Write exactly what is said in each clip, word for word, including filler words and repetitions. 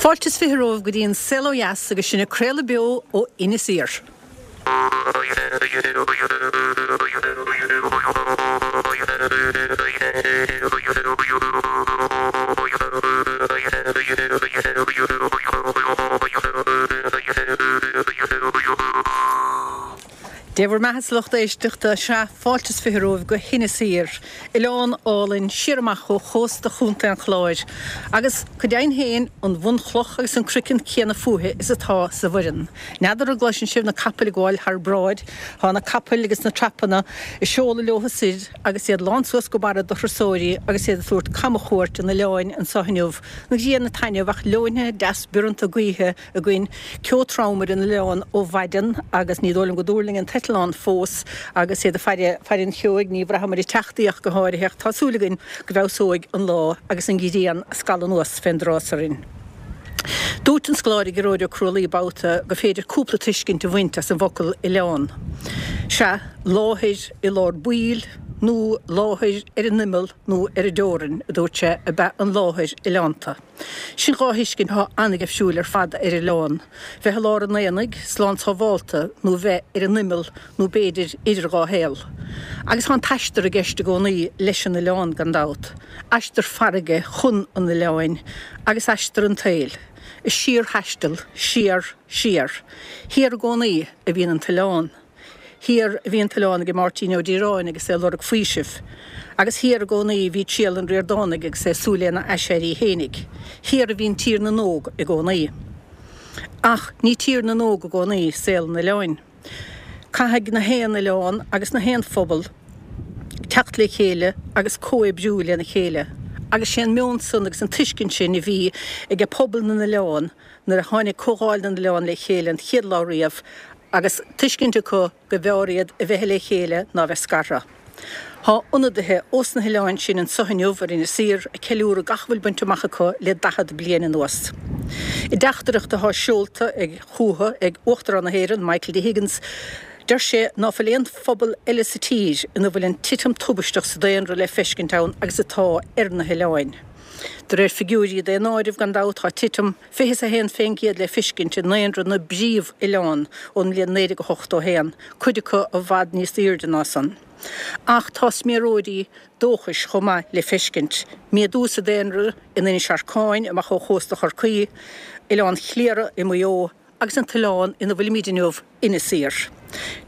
Fáilte is fiche romhaibh go dtí an Saol Ó Dheas agus sinn ag craoladh beo ó Inis Oírr. Dé bhur mbeatha a lucht éisteachta, sea, fáilte is fiche romhaibh go hInis Oírr, oileán álainn siar amach ó chósta Chontae an Chláir, agus go deimhin féin, an bhunchloch agus an craiceann céanna fúithi is atá sa Bhoireann. N'fheadar an gcloiseann sibh na capaill ag gabháil thar bráid, tá na capaill agus na trapanna ag seoladh leo soir agus iad lán suas go barra de thurasóirí agus iad ag tabhairt camchuairt an oileáin anseo inniu, an ghrian ag taitneamh ach leoithne deas bioranta gaoithe againn, ceo trom ar an oileán ó mhaidin agus ní dóigh liom go dtuirling an t-eitleán fós agus iad ag faire, faire an cheoigh, ní bhraitheamar ag teacht í ach go háirithe ach tá súil againn go bhfeabhsóidh an lá agus an ghrian ag scalladh anuas fén dtrás orainn. Dúirt an scoláire Gearóid Ó Crualaoi babhta gur féidir cúpla tuiscint a bhaint as an bhfocal oileán. Sea, láthair i lár baill nó láthair ar an imeall nó ar an dteorainn, a dúirt sé, ab ea an láthair oileánta. Sin dhá thuiscint atá an-gheimhsiúil ar fad ar oileán, bheith i lár an aonaigh, slán sábhálta, nó bheith ar an imeall nó b'fhéidir idir dhá shaol. Agus tá an t-aistear i gceist i gcónaí leis an oileán, gan dabht. Aistear farraige chun an oileáin, agus aistear an tsaoil. A síorthaisteal, siar, siar. Thiar i gcónaí a bhíonn an t-oileán. Thiar a bhí an t-oileán ag Máirtín Ó Direáin agus é ag lorg faoisimh. Agus thiar i gcónaí a bhí triall an Ríordánaigh agus é ag súil lena aiséirí fhéinig. Thiar a bhíonn Tír na nÓg i gcónaí. Ach ní Tír na nÓg i gcónaí saol an oileáin. Caithfidh na haon oileán agus na haon phobal teacht le chéile agus comhoibriú lena chéile. Agus sé an meon san agus an tuiscint sin a bhí age pobal na n-oileán nuair a tháinig Comhdháil na nOileán le chéile an chéad lá riamh agus tuiscint acu go mb'fhearr iad a bheith le chéile ná a bheith scartha. Tá ionadaithe ós na hoileáin sin anso inniu ar Inis Oírr ag ceiliúradh gach a bhfuil bainte amach acu le daichead bliain anuas. I dteachtaireacht atá seolta ag chucu ag Uachtarán na hÉireann, Michael D. Higgins, deir sé ná fuil aon phobal eile sa tír ina bhfuil an titim tubaisteach sa daonra le feiscint ann agus atá ar na hoileáin. De réir figiúirí daonáirimh, gan dabht, tá titim fiche is a haon fén gcéad le fiscint i ndaonra na bpríomh-oileán ón mbliain naoi déag ochtó a haon, cuid acu i bhfad níos aoirde ná san. Ach tá sméaróirí dóchais chomh maith le feiscint, méadú sa daonra in Inis Arcáin amach ó chósta Chorcaí, Oileán Chliara i Maigh Eo agus an t-oileán ina bhfuilimid inniu, Inis Oírr.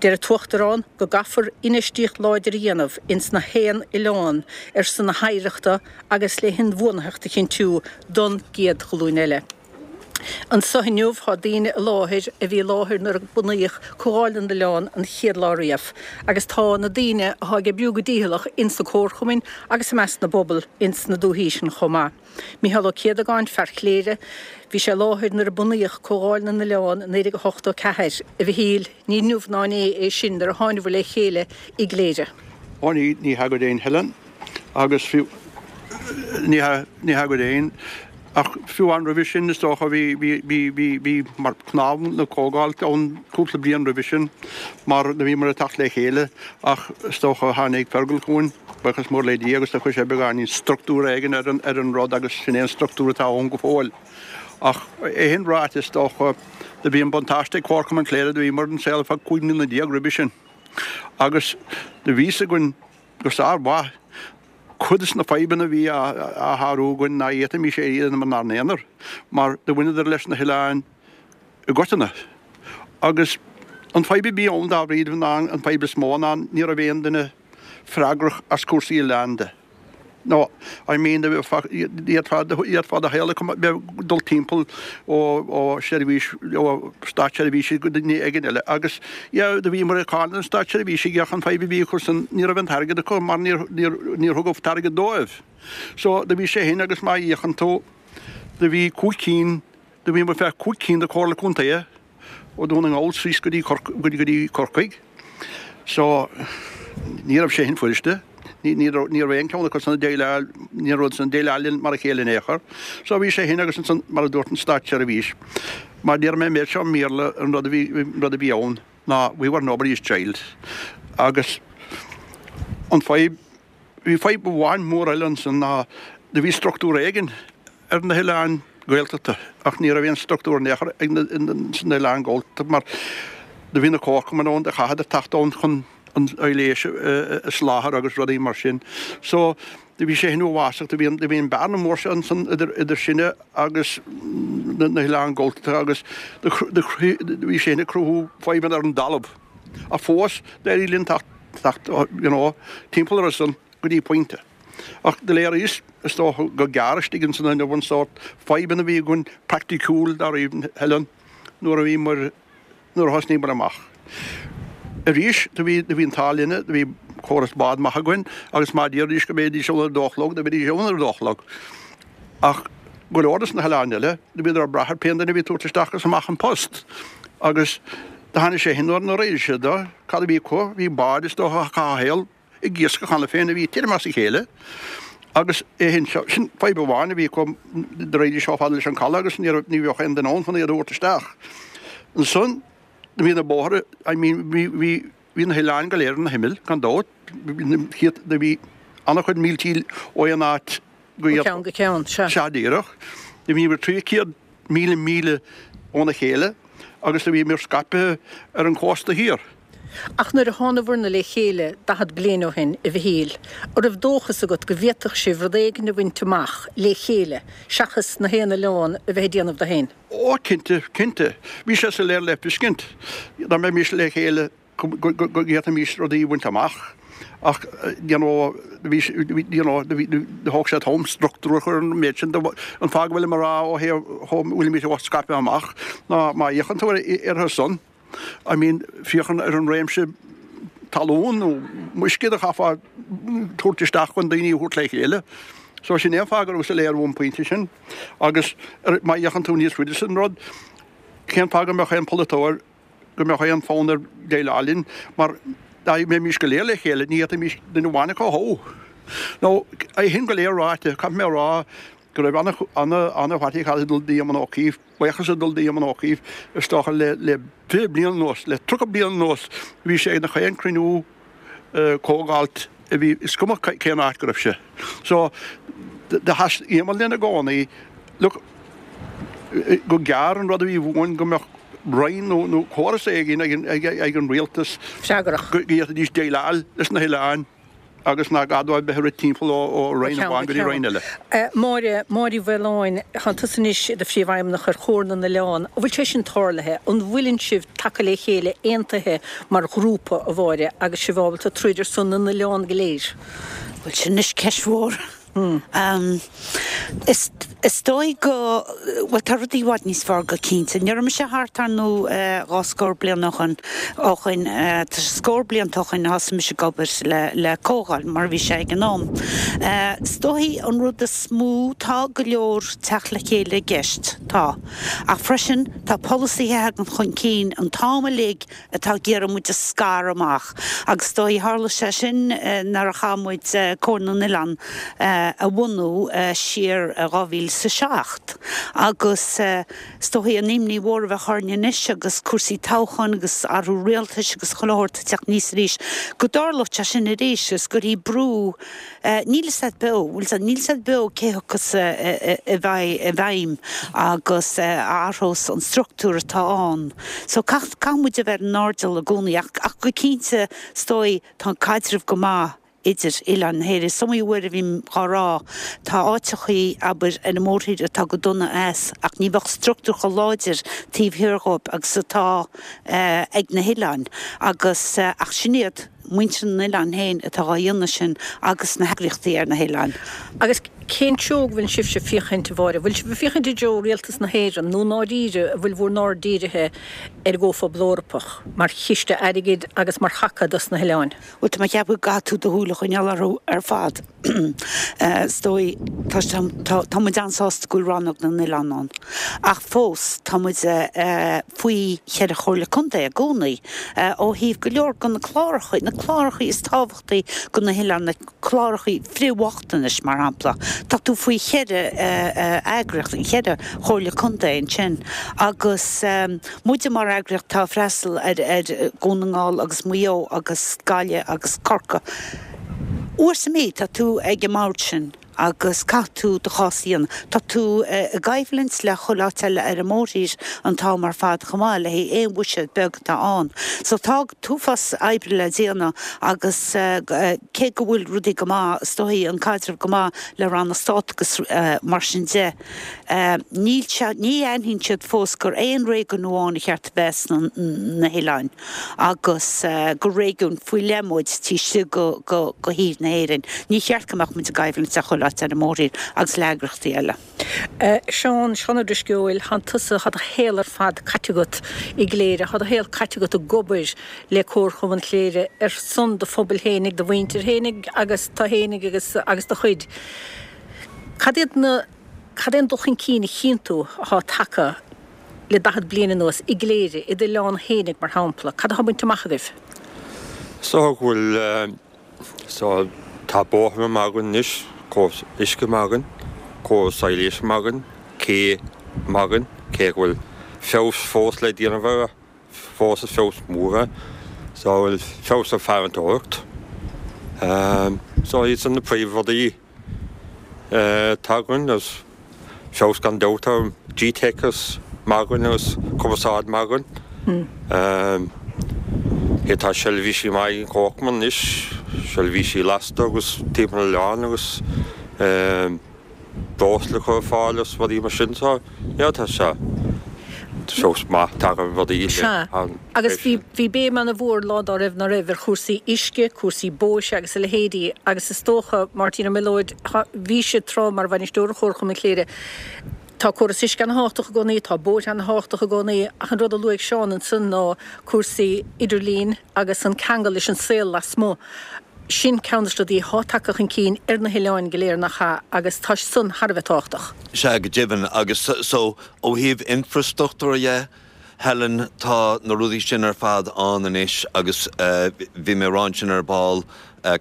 Deir an tUachtarán go gcaithfear infheistíocht láidir a dhéanamh ins na haon oileán ar son na hoidhreachta agus le hinbhuanaitheacht a chinntiú don gcéad ghlúin eile. Anso inniu tá daoine i láthair a bhí i láthair nuair a bunaíodh Comhdháil na nOileán an chéad lá riamh agus tá na daoine atá ag oibriú go dícheallach ins na comharchumainn agus i measc na bpobal ins na dúichí sin chomh maith. Mícheál Ó Céadagáin, fear Chléire, bhí sé i láthair nuair a bunaíodh Comhdháil na nOileán i naoi déag ochtó ceathair. A Mhichíl, ní inniu ná inné é sin nuair a thánabhair le chéile i gCléire. Ó ní, ní hea go deimhin Helen, agus fiú, ní hea, ní hea go deimhin, ach fiú amháin roimhe sin is dócha bhí, bhí, bhí, bhí, bhí mar cnámh na comhdhála ann cúpla bliain roimhe sin mar do bhíomar ag teacht le chéile ach is dócha tháinig Fergal chugainn. Buíochas mór le Dia agus do chuir sé beagáinín struchtúr éigin ar an ar an rud agus sin é an struchtúr atá ann go fóill. Ach é sin ráite is dócha do bhí an buntáiste ag Comharchumann Chléire do bhíomar an saol ar feadh cúig mbliana déag roimhe sin agus do bhí fhios againn go sár-mhaith cuid des na fadhbanna a bhí á á shárú againn ná fhéadfaimis é a dhéanamh inár n-aonar mar do bhaineadar leis na hoileáin i gcoitinne. Agus an fadhb a bhí ann dáiríre ná an fadhb is mó ná ní raibh aon duine freagrach as cúrsaí oileáin de. No, I mean, d'fhéadfá do shaol a bheith dul timpeall ó ó seirbhís, ó státseirbhísigh go duine éigin eile agus yeah, do bhíomar ag cáineadh na státseirbhísigh ach an fadhb a bhí acu san, ní raibh an t-airgead acu mar níor, níor, níor thugadh t-airgead dóibh. So, do bhí sé shin agus má fhéachann tú, do bhí cúig cinn, do bhíomar feadh cúig cinn de Chomhairle Contae ó Dhún na nGall síos go dtí go dtí Corcaigh. So, ní raibh sé shin fuiriste. Ní ní raibh ní raibh aon cheann acu san ag déileáil, ní raibh san ag déileáil linn mar a chéile in aon chor. So bhí sé shin agus ansan, mar a dúirt an státseirbhís, mar déarfaidh mé an méid seo i mBéarla, an rud a bhí, an rud a bhí ann ná we were nobody's child. Agus an fadhb, bhí fadhb amháin mór eile ansan ná do bhí struchtúr éigin ar na hoileáin, Gaeltachta ach ní raibh aon struchtúr in aon chor ag na sna oileáin Ghaeltachta mar do bhí na comharchumainn ann do chaitheadar teacht ann chun an leighis a sholáthar agus rudaí mar sin. So do bhí sé sin uafásach, do bhí an do bhí an bearna mór seo ansan idir idir sinne agus na na hoileáin Ghaeltachta agus do do do bhí sé sin ag cruthú fadhbanna ar an dtalamh. Ach fós d'éirigh linn teacht teacht you know timpeall orthu san go dtí pointe. Ach do léiríos, is dócha, go gearr istigh ins an inniu an sórt fadhbanna a bhí againn praiticiúil dáiríre Helen nuair a bhíomar, nuair a thosnaíomar amach. Arís, do bhí, do bhí an t-ádh linne, do bhí córas bád maith againn agus má d'iarraidís go mbeidís ann ar a dó a chlog, do bheidís ann ar a dó a chlog. Ach go leor des na hoileáin eile, do bhíodar ag brath ar pén duine a bhí ag tabhairt isteach agus amach an post. Agus do tháinig sé shin nuair a d'éirigh siad do, cad a bhí acu, bhí báid is dócha a chaitheamh a shaol, ag iascach cheana féin a bhí tirim as a chéile agus é sin seo, sin fadhb amháin a bhí acu, do raghaidís chomh fada leis an caladh agus ní raibh, ní bheadh aon duine ann chun iad a thabhairt isteach. Ansan, do bhí na bóithre, I mean, bhí, bhí, bhí na hoileáin go léir ar na himill, gan dabht, bhí na céadta, do bhí an-chuid míltí ó aon áit go Ó cheann go ceann, sea. Sea, díreach. Do bhíomar trí chéad míle míle óna chéile agus do bhíomar scaipthe ar an chósta thiar. Ach nuair a thánabhair-na le chéile daichead bliain ó shin, a Mhichíl, an raibh dóchas agat go bhféadfadh sibh rud éigin a bhaint amach le chéile seachas na haon oileán a bheith ag déanamh dó féin? Ó, cinnte, cinnte. Bhí sé soiléir le feiscint dá mbeimis le chéile go bhféadfaimis rudaí a bhaint amach. Ach, you know, bhí, you know, thóg sé t-am struchtúr a chur ar an méid sin. An fáth go bhfuilim ag rá ó thaobh chomh bhfuilimid scaipthe amach ná má fhéachann tú orthu san, I mean, féachann ar an réimse talún nó uisce a chaithfeá tabhairt isteach chun daoine a thabhairt le chéile. So sin é an fáth go raibh soiléir ón bpointe sin. Agus má fhéachann tú níos faide san rud, cén fáth go mbeadh aon pholaiteoir, go mbeadh aon fhonn air déileáil linn, mar dá mbeimis go léir le chéile, ní fhéadfaimis duine amháin acu a thoghadh. Nó, é sin go léir ráite, caithfidh mé a rá go raibh an-fhaitíoch ag dul d'Éamon Ó Cuív, buíochas ag dul d'Éamon Ó Cuív, is dócha le le fiche bliain anuas, le tríocha bliain anuas, bhí sé ag gach aon cruinniú comhdháilt a bhí, is cuma cén áit go raibh sé. So, do sheas Éamon linn i gcónaí, look, go gearr an rud a bhí uainn go mbeadh roinn nó nó córas éigin ag ag an rialtas Freagrach. go bhféadfaidís déileáil leis na hoileáin. agus nach gá dóibh bheith ag rith timpeall ó roinn amháin go dtí roinn eile. Máire, Máire Uí Mhaoláin, Tánn tusa anois i do Phríomhfheidhmeannach ar Chomhar na nOileán. An bhfuil sé sin tarlaithe? An bhfuileann sibh tagtha le chéile, aontaithe mar ghrúpa, a Mháire, agus sibh ábalta troid ar son na n-oileán go léir? Bhuel, sin anois ceist mhór. Is is dóigh go, bhuel tá rudaí i bhfad níos fearr go cinnte. Ní raibh mise thart ar ndóigh dhá scór bliain ó shoin, ó shoin, tá sé scór blianta ó shoin a thosaigh mise ag obair le le Comhdháil mar a bhí sé ag an am. Is dóigh an rud is mó, tá go leor teacht le chéile i gceist, tá. Ach freisin tá polasaithe a thagann chun cinn an t-am uilig atá ag iarraidh muid a scaradh amach agus is dóigh tharla sé sin nuair a chaith muid Comhar na nOileán a bhunú siar i dhá mhíle is a seacht agus is dóigh an imní mhór a bheadh orainn anois agus cúrsaí toghcháin agus athrú rialtais agus chuile shórt ag teacht aníos arís go dtarlódh sé sin arís agus go gcuirfí brú níl fhios a'd beo, bhfuil fhios a'd, níl fhios a'd beo cé thiocfas i bhfeidhm agus a athrós an struchtúr atá ann. So caithfidh muid a bheith ar an airdeall i gcónaí ach ach go cinnte is dóigh tá an caidreamh go maith idir oileáin na hÉireann. Is iomaí uair a bhím dhá rá, tá áiteachaí, abair, ar an mórthír atá go dona as ach ní bheadh struchtúr chomh láidir taobh thiar dhóibh agus atá ag na hoileáin agus ach sin iad muintir na n-oileán féin atá dhá dhéanamh sin agus na heagraíochtaí ar na hoileáin. Agus cén treo go bhfuil sibhse ag féachaint, a Mháire? Bhfuil sibh ag féachaint i dtreo Rialtas na hÉireann nó i ndáiríre an bhfuil bhur n-aird dírithe ar an gComhphobal Eorpach mar chiste airgid agus mar thaca dos na hoileáin? Bhuel, tá mé ag ceapadh go gcaithfidh tú do shúil a choinneáil orthu ar fad. Is dóigh, tá, tá, tá muid an-sásta go bhfuil Rannóg na nOileán ann. Ach fós, tá muid faoi cheithre chomhairle contae i gcónaí, ó thaobh go leor de na cláracha, na cláracha is tábhachtaí do na hoileáin, na cláracha frith-bhochtanais, mar shampla. Tá tú faoi cheithre eagraíocht, cheithre chomhairle contae ansin. Agus muide mar eagraíocht atá ag freastal ar Dhún na nGall agus Maigh Eo agus Gaillimh agus Corcaigh, uair sa mhí tá tú ag an mbord sin agus caithfidh tú do chás a dhéanamh. Tá tú i gcoimhlint le chuile áit eile ar an mórthír an t-am ar fad chomh maith le haghaidh aon bhuiséad beag atá ann. So tá t-uafás oibre le déanamh agus cé go bhfuil rudaí go maith, is dóigh an caidreamh go maith le ranna stáit agus mar sin de, níl sé, ní aithníonn siad fós gur aon réigiún amháin a cheart a bheith sna na hoileáin agus gur réigiún faoi leith muid taobh istigh go go go thír na hÉireann. Ní cheart go mbeadh muid i gcoimhlint le chuile áit ar an mórthír agus le heagraíochtaí eile. Seán, Seán Ó Drisceoil, thánn tusa, thá do shaol ar fad caite agat i gCléire, thá do shaol caite agat ag obair le Comharchumann Chléire ar son do phobail fhéinig, do mhuintir fhéinig agus tú fhéinig agus agus do chuid. Cad iad na, cad é an dul chun cinn a chíonn tú athá tagtha le daichead bliain anuas i gCléire, i d'oileán fhéinig mar shampla? Cad athá bainte amach agaibh? Is dócha go bhfuil, so tá bóithre maith againn anois, córas uisce maith againn, córas soilse maith againn, cé maith againn, cé go bhfuil feabhas fós le déanamh air, fós is feabhas mór é. So bhfuil feabhas ar farantóireacht. So iad san na príomhrudaí atá againn agus feabhas gan dabht ar G-Teic agus maith againn agus cumarsáid maith againn. Cé tá seirbhísí maith ag an Chomharchumann anois, seirbhísí lasta agus timpeall an oileáin agus breosla a chur ar fáil agus rudaí mar sin so yeah tá sé feabhas maith tagtha ar rudaí Sea, agus bhí bhí béim ana-mhór lá dá raibh ná raibh ar chúrsaí uisce, cúrsaí bóithre agus a leithéidí agus is dócha, Máirtín Ó Mileoid, bhís tráth mar bhainisteoir Chomharchumann Chléire, tá córas uisce ana-thábhachtach i gcónaí, tá bóithre ana-thábhachtach i gcónaí ach an rud a luaigh Seán ansan ná cúrsaí idirlín agus an ceangal leis an saol lasmuigh. Sin ceann de na rudaí atá tagtha chun cinn ar na hoileáin go léir nach ea agus tá san thar a bheith tábhachtach. Sea, go deimhin. Agus so, ó thaobh infreastruchtúir dhe, Helen, tá na rudaí sin ar fad ann anois agus bhí mé ag rá ansin ar ball,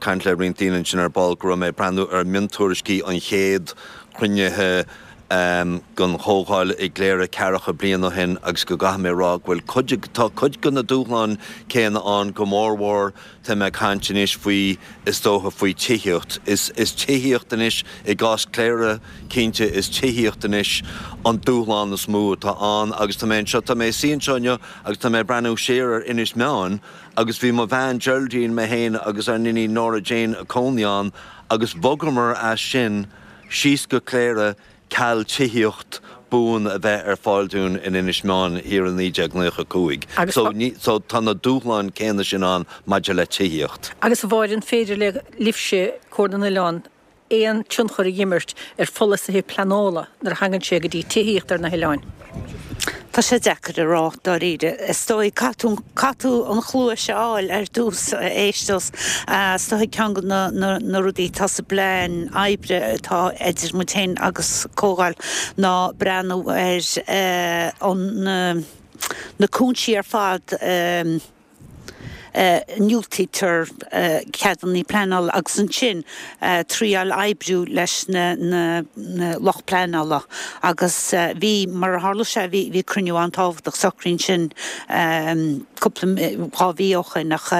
caint le roinnt daoine ansin ar ball, go raibh mé ag breathnú ar mhiontuairiscí an chéad chruinnithe den chomhdháil i gCléire ceathracha bliain ó shin agus go gcaithfidh mé a rá go bhfuil cuid, tá cuid de na dúshláin céanna ann, go mórmhór tá mé ag caint anois faoi, is dócha, faoi tithíocht. Is, is tithíocht anois, i gcás Cléire, cinnte, is tithíocht anois an dúshlán is mó atá ann agus tá mé anseo, tá mé ag suí anseo inniu agus tá mé ag breathnú siar ar Inis Meáin agus bhí mo bhean Geraldine, mé féin agus ár n-iníon Nora Jane ag cónaí ann agus bhogamar as sin síos go Cléire ceal tithíocht buan a bheith ar fáil dúinn in Inis Meáin thiar i naoi déag naocha cúig. Agus So ní, so tá na dúshláin céanna sin ann maidir le tithíocht. Agus a Mháire, an féidir le libhse, Comhar na nOileán, aon tionchar a dh'imirt ar pholasaithe pleanála nuair a thagann sé go dtí tithíocht ar na hoileáin? Tá sé deacair a rá, dáiríre. Is dóigh, caithfidh tú, caithfidh tú an chluais a fháil ar dtús, a éisteacht. Is dóigh ceann de na, na, na rudaí atá sa bplean oibre atá idir muid féin agus Comhdháil ná breathnú ar an, na, na cúinsí ar fad, ndiúltaítear ceadanna pleanála agus ansin triáil oibriú leis na lucht pleanála agus bhí, mar a tharla sé, bhí bhí cruinniú an-tábhachtach socraithe ansin cúpla, dhá mhí ó shin ach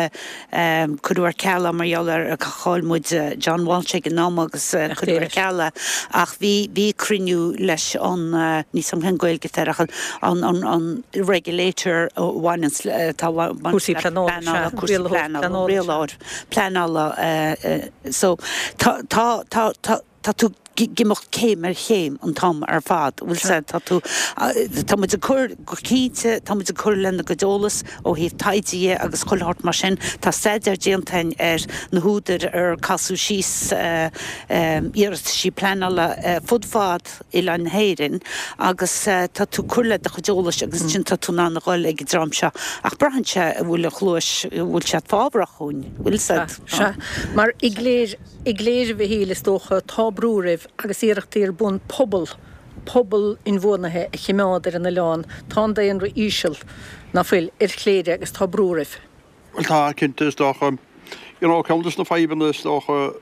cuireadh ar ceal é mar gheall ar chaill muid John Walsh ag an am agus cuireadh ar ceal é ach bhí bhí cruinniú leis an, níl a fhios agam cén Ghaeilge atá air ach an an an regulator a bhaineanns le, atá Cúrsaí pleanála, sea, cúrsaí pleanála, rialóir pleanála so tá tá tá tá tá tú ag imeacht céim ar chéim an t-am ar fad, bhfuil 's a'd, tá tú tá muid ag cur go cinnte tá muid ag cur lena gcuid eolas ó thaobh taighde dhe agus chuile shórt mar sin, tá staidéar déanta againn ar na húdair ar casadh síos iarrataisí pleanála fud fad oileán na hÉireann agus tá tú ag cur le do chuid eolais agus ansin tá tú in ann a dhul ag an dream seo ach braitheann sé an bhfuil an chluais, an bhfuil siad fábharach dhúinn, bhfuil 's a'd. Sea, mar i gCléire, i gCléire a Mhichíl is dócha, tá brú oraibh agus iarrachtaí ar bun pobal, pobal inbhuanaithe a chimeád ar an oileán. Tá an daonra íseal, ná fuil, ar Chléire agus tá brú oraibh. Bhuel tá, cinnte, is dócha. You know, ceann de na fadhbanna is dócha,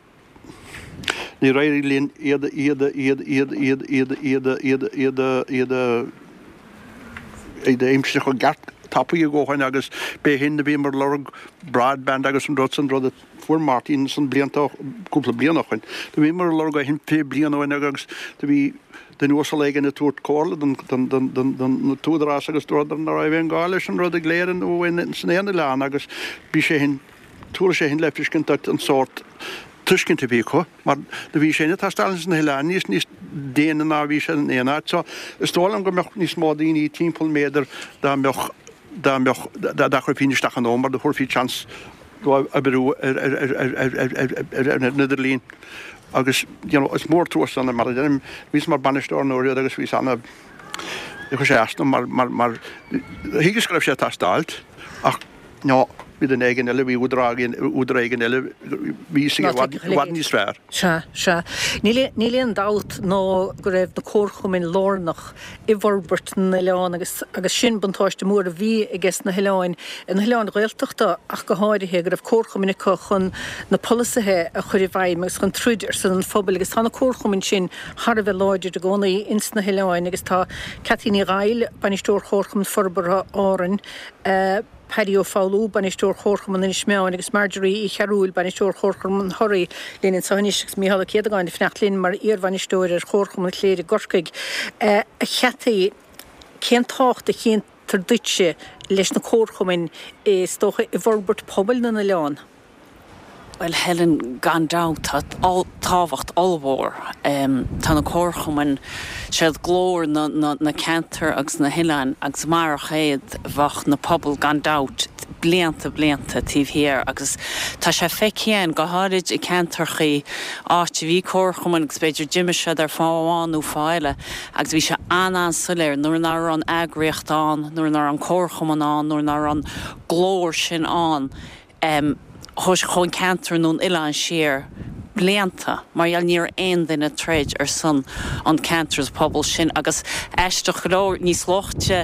Níor éirigh linn iad, iad, iad, iad, iad, iad, iad, iad, iad, iad, iad a aimsiú chomh ceart tapaidh a dhóthain agus b'é shin a bhíomar ag lorg broadband agus an rud san, rud a fuair Martin san blianta, cúpla bliain ó shoin. Do bhíomar ag lorg é shin fiche bliain ó shoin agus do bhí duine uasal éigin ag tabhairt comhairle don, don, don, don, don t-údarás agus dúradar ná raibh aon gá leis an rud ag Cléire nó san aon oileán agus bhí sé shin, tabharfaidh sé shin le feiscint duit an sórt tuiscint a bhí acu, mar do bhí sé ag teastáil sna hoileáin níos níos déine ná a bhí sé in aon áit. So is dóigh liom go mbeadh níos mó daoine timpeall mb'fhéidir dá mbeadh dá mbeadh dá chuirfí isteach an mar do thabharfaí chance dóibh oibriú ar ar ar ar ar ar ar ar an idirlíon. Agus you know, is mór trua san mar a deirim, bhíos mar bainisteoir an uair agus bhíos ana chuir sé as dom mar mar mar thuigeas go raibh sé ag teastáilt ach no, bhí duine éigin eile, bhí údar éigin eile, bhí sé i bhfad níos fearr. Sea, sea. Níl níl aon dabht ná go raibh na comharchumainn lárnach i bhforbairt na n-oileán agus agus sin buntáiste mór a bhí ages na hoileáin, na hoileáin Ghaeltachta ach go háirithe, go raibh comharchumainn acu chun na polasaithe a chur i bhfeidhm agus chun troid ar son an phobail agus tá na comharchumainn sin thar a bheith láidir i gcónaí ins na hoileáin agus tá Cathy Ní Dhaill, Bainisteoir Chomharchumann Forbartha Árann, Paddy Ó Foghlú, Bainisteoir Chomharchumann Inis Meáin agus Marjorie Uí Chearúil, Bainisteoir Chomharchumann Thoraí linn anseo anois agus Mícheál Ó Céadagáin ag fanacht linn mar iarbhainisteoir ar Chomharchumann Chléire i gCorcaigh. A Chathy, cén tábhacht a chíontar duitse leis na comharchumainn is dócha i bhforbairt pobail na n-oileán? Bhuel Helen, gan dabht tá tábhacht ollmhór. Tá na comharchumainn, siad glór na na ceantar agus na hoileáin agus marach iad bheadh na pobail gan dabht blianta blianta taobh thiar agus tá sé feicthe againn go háirid i ceantarchaí áit a bhí comharchumainn agus b'fhéidir d'imigh siad ar fáth amháin nó fáth eile agus bhí sé an-an-soiléir nuair nach raibh an eagraíocht ann, nuair nach raibh an comharchumann ann, nuair nach raibh an glór sin ann. Chuaigh an ceantar nó an oileán siar blianta mar gheall ní raibh aon duine ag troid ar son an ceantar is pobal sin agus aisteach go leor níos luaithe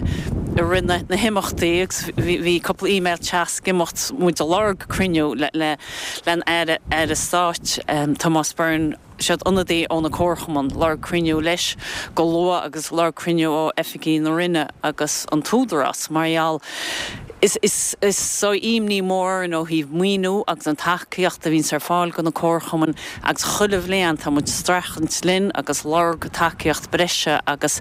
i rith na na himeachtaí agus bhí bhí cúpla email teas ag imeacht muid ag lorg cruinniú le le len Aire Aire Stáit Tomás Byrne siad ionadaí ó na comharchumainn lorg cruinniú leis go luath agus lorg cruinniú ó oifigí na Roinne agus an tÚdarás mar gheall is is is so imní mór orainn ó thaobh maoiniú agus an tacaíocht a bhíonns ar fáil go na comharchumainn agus chuile bhliain tá muid streachailt linn agus lorg tacaíocht breise agus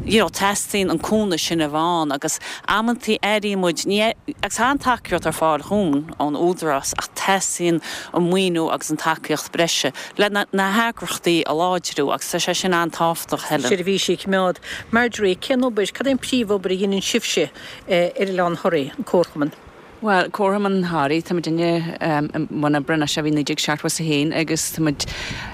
you know teastaíonn an cúnamh sin a bheith ann agus amantaí airíonn muid ní agus tá an tacaíocht ar fáil chugainn ón Údarás ach teastaíonn an maoiniú agus an tacaíocht breise le na na heagraíochtaí a láidriú agus tá sé sin an-tábhachtach Helen. Seirbhísí a choimeád. Marjorie, cén obair, cad é an príomhobair a dhéanann sibhse ar Oileán Thoraí, an Comharchumann? Bhuel, Comharchumann Thoraí, tá muidinne i mbun oibre anois ó bhí naoi déag seachtó is a haon agus tá muid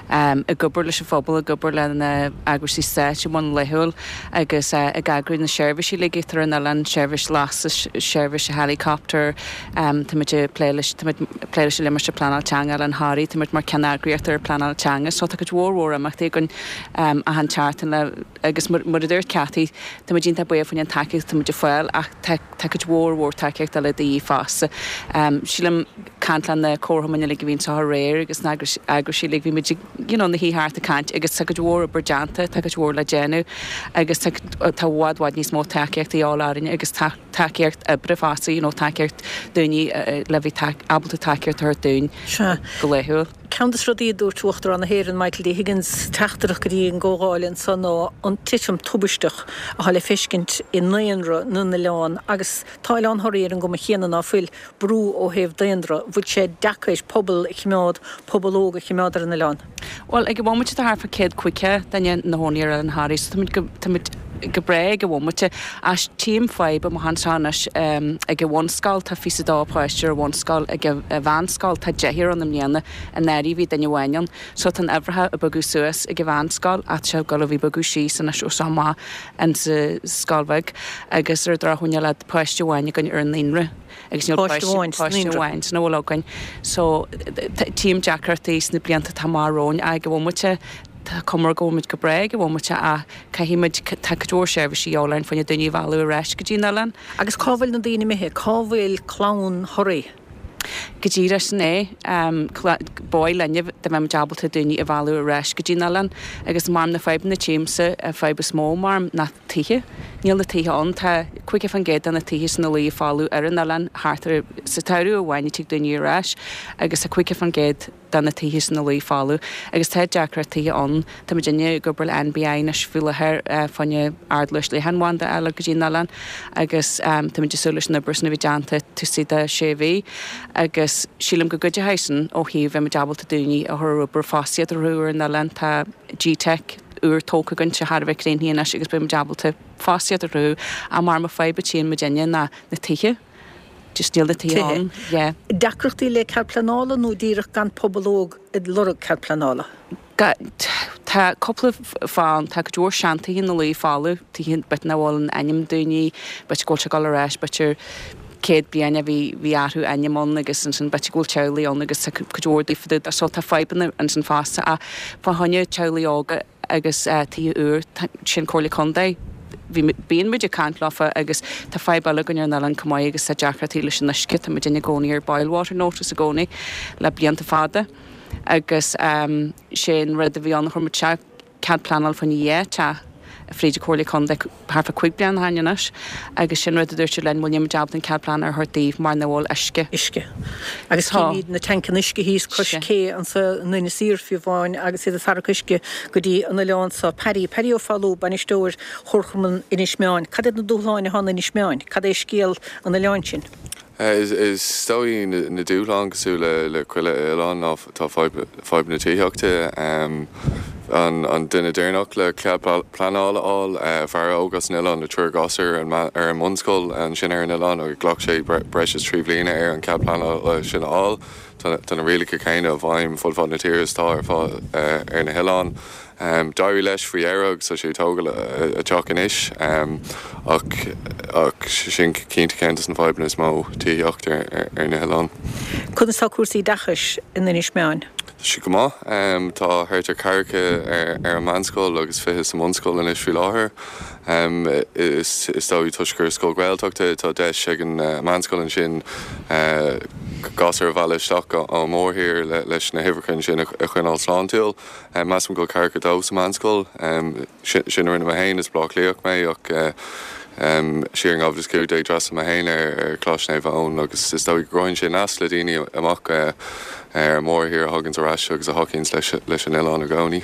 ag obair leis an phobal, ag obair le na eagraíochtaí stáit i mbun laethúil agus ag eagrú na seirbhísí uilig atá ar an oileán, seirbhís lastais, seirbhís helicopter, tá muid ag plé leis, tá muid ag plé leis an Limistéar Pleanála Teanga Oileán Thoraí, tá muid mar ceanneagraíocht ar pleanáil teanga, so tá cuid mhór mhór imeachtaí againn achan tseachtain le agus mar a dúirt Cathy, tá muid iontach buíoch faoin tacaíocht atá muid ag fáil ach tá tá cuid mhór mhór tacaíocht eile de dhíth fosta. Sílim caint le na comharchumainn uilig a bhí anseo aréir agus na eagraisí uilig, bhí muid ag you know na shuí thart ag caint agus tá cuid mhór obair déanta, tá cuid mhór le déanamh agus tá tá bhfad bhfad níos mó tacaíocht de dhíobháil orainne agus tacaíocht oibre fosta, you know tacaíocht daoine le bheith ábalta tacaíocht a thabhairt dúinn go laethúil. Ceann de na rudaí a dúirt Uachtarán na hÉireann Michael D. Higgins sa teachtaireacht go dtí an gcomhdháil anso ná an titim tubaisteach atá le feiscint i ndaonra na n-oileán agus tá Oileán Thoraí ar an gcuma chéanna ná fuil brú ó thaobh daonra, bhfuil sé deacair pobal a choimeád, pobal óg a choimeád ar an oileán? Bhuel, ag an bhomaite tá thart fá céad caoga duine ina chónaí ar Oileán Thoraí so táimid go, táimid go breá ag an bhomaite. Ach tchím fadhb amach anseo anois ag an bhunscoil, tá fiche a dó páiste ar an bhunscoil, ag an mheánscoil tá deichniúr ann i mbliana, anuraidh bhí duine amháin ann. So tá an uimhreacha ag bogadh suas ag an mheánscoil ach tá sé ag dul a bheith bogadh síos anois ó seo amach insa scoil bheag agus ar an drochuair níl ach páiste amháin againn ar an naíonra agus níl Páiste amháin sa páiste naíonra. amháin san a bhfuil againn. So tchím deacrachtaí sna blianta atá amach romhainn ag an bhomaite tá cuma go bhfuil muid go breá ag an bhomaite ach caithfidh muid tá cuid mhór seirbhísí de dhíobháil orainn fá choinne daoine a mhealladh ar ais go dtí an oileán. Agus cá bhfuil na daoine imithe? Cá bhfuil clann Thoraí? Go díreach sin é. Ba mhaith linne dá mbeadh muid ábalta daoine a mhealladh ar ais go dtí an oileán agus mar na fadhbanna tchímse an fadhb is mó mar ná tithe. Níl na tithe ann. Tá caoga faoin gcéad de na tithe sna Laoi folamh ar an oileán thart ar sa tsamhradh amháin a tig daoine ar ais agus tá caoga faoin gcéad de na tithe sna Laoi folamh agus tá deacrachtaí ann. Tá muidinne ag obair le NBI anois faoi láthair fá choinne ardluais leathanbhanda a fháil go dtí an oileán agus tá muid ag súil leis an obair sin a bheith déanta taobh istigh de sé mhí agus sílim go gcuideoidh sin ó thaobh bheith muid ábalta daoine a chur ar obair fostaíocht a chruthú ar an oileán. Tá G-Teic úr tógtha againn thar a bheith críochnaithe anois agus beidh muid ábalta fostaíocht a chruthú ach mar mo fadhb a tchíonn muidinne ná na tithe. Just níl na tithe ann. Yeah. Deacrachtaí le cead pleanála nó díreach gan pobal óg ag lorg cead pleanála? Tá cúpla fáth ann. Tá cuid mhór seantithe na Laoi folamh, tithe b'fhéidir nach bhfuil in ainm daoine, b'fhéidir go bhfuil sé ag dul ar ais, b'fhéidir céad bliain a bhí bhí athrú ainm ann agus ansin b'fhéidir go bhfuil teaghlaigh ann agus tá cuid mhór daofa so tá fadhbanna ansin fosta ach fá choinne teaghlaigh óga agus tithe úr sin Comhairle Contae bhí bíonn muid ag caint leofa agus tá fadhb eile againn ar an oileán chomh maith agus tá deacrachtaí leis an uisce tá muid i gcónaí ar boil water notice i gcónaí le blianta fada agus sé an rud a bhí ann chuir muid cead pleanála fá choinne dhá teach fríd an Comhairle Contae thart fá cúig bliana ó shin anois agus sin rud a dúirt siad linn bhuel níl muid ábalta an cead pleanála a thabhairt daoibh mar nach bhfuil uisce. Uisce. Agus címid na tancanna uisce thíos cois cé anso in Inis Oírr fiú amháin agus iad ag tarrac uisce go dtí an oileán seo. Paddy, Paddy Ó Foghlú, bainisteoir Chomharchumann Inis Meáin. Cad iad na dúshláin atá in Inis Meáin? Cad é scéal an oileáin sin? Is dóigh na dúshláin cosúil le chuile oileán ná tá fadhb na tithíochta. An duine deireanach le cead pleanála a fháil, fear óg as an oileán le triúr gasúr ar an mbunscoil ansin ar an oileán agus ghlac sé breis is trí bliana air an cead pleanála sin a fháil. Tá na rialacha céanna i bhfeidhm fud fad na tíre is atá ar fáil ar na hoileáin. D'éirigh leis faoi dheireadh agus tá sé ag tógáil a teach anois ach ach sin cinnte ceann de na fadhbanna is mó, tithíocht ar ar na hoileáin. Conas tá cúrsaí oideachais in Inis Meáin? Tá sé go maith. Tá thart ar ceathracha ar ar an meánscoil agus fiche sa mbunscoil anois faoi láthair. Is is dóigh toisc gur scoil Ghaeltachta tá deis ag an meánscoil ansin gasúir a mhealladh isteach ón mórthír leis na huimhreacha ansin a choinneáil sláintiúil. Measaim go bhfuil ceathracha dó sa meánscoil. Sin a rinne mé féin, is Baile Átha Cliathach mé ach siar in dhá mhíle is cúig déag d'fhreastail mé féin ar Choláiste Naomh Eoin agus is dóigh go gcruthaíonn sé nasc le daoine amach ar an mórthír a thaganns ar ais agus a thacaíonns leis an oileán i gcónaí.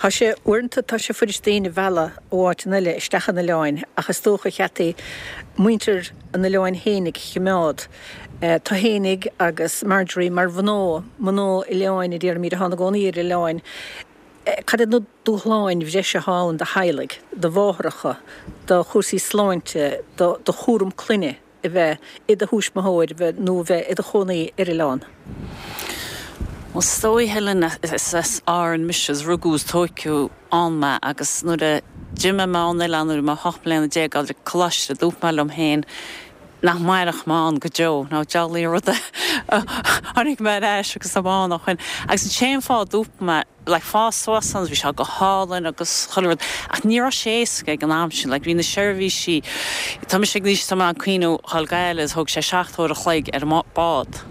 Tá sé, uaireanta tá sé fuirist daoine a mhealladh ó áiteanna eile isteach an oileáin ach is dócha Cheataí muintir an oileáin fhéinig a choimeád. Tú fhéinig agus Marjorie mar mhná, mná oileáin a déarfaimid atá ina gcónaí ar oileáin. Cad iad na dúshláin bhreise atá ann do theaghlaigh, do mháithreacha, do chúrsaí sláinte, do do chúram clainne a bheith i do thuismitheoir nó a bheith i do chónaí ar oileán? Bhuel, is dóigh, Helen, is as Árainn mise, is rugadh is tóigeadh ann mé agus nuair a d'imigh mé ón oileán nuair a bhí mé ocht mbliana déag ag dul coláiste, dúirt mé liom féin nach mairfeadh mé ann go deo, nó diabhlaí rud é tháinig mé ar ais agus tá mé ann ó shin. Agus an t-aon fáth a dúirt mé, like, fás suas ann, bhí sé go hálainn agus chuile rud, ach ní raibh sé éasca ag an am sin, like, bhí na seirbhísí, tá mise ag aois, tá mé ag cuimhniú dhul go Gaillimh, thóg sé seacht uair a chloig ar an bád.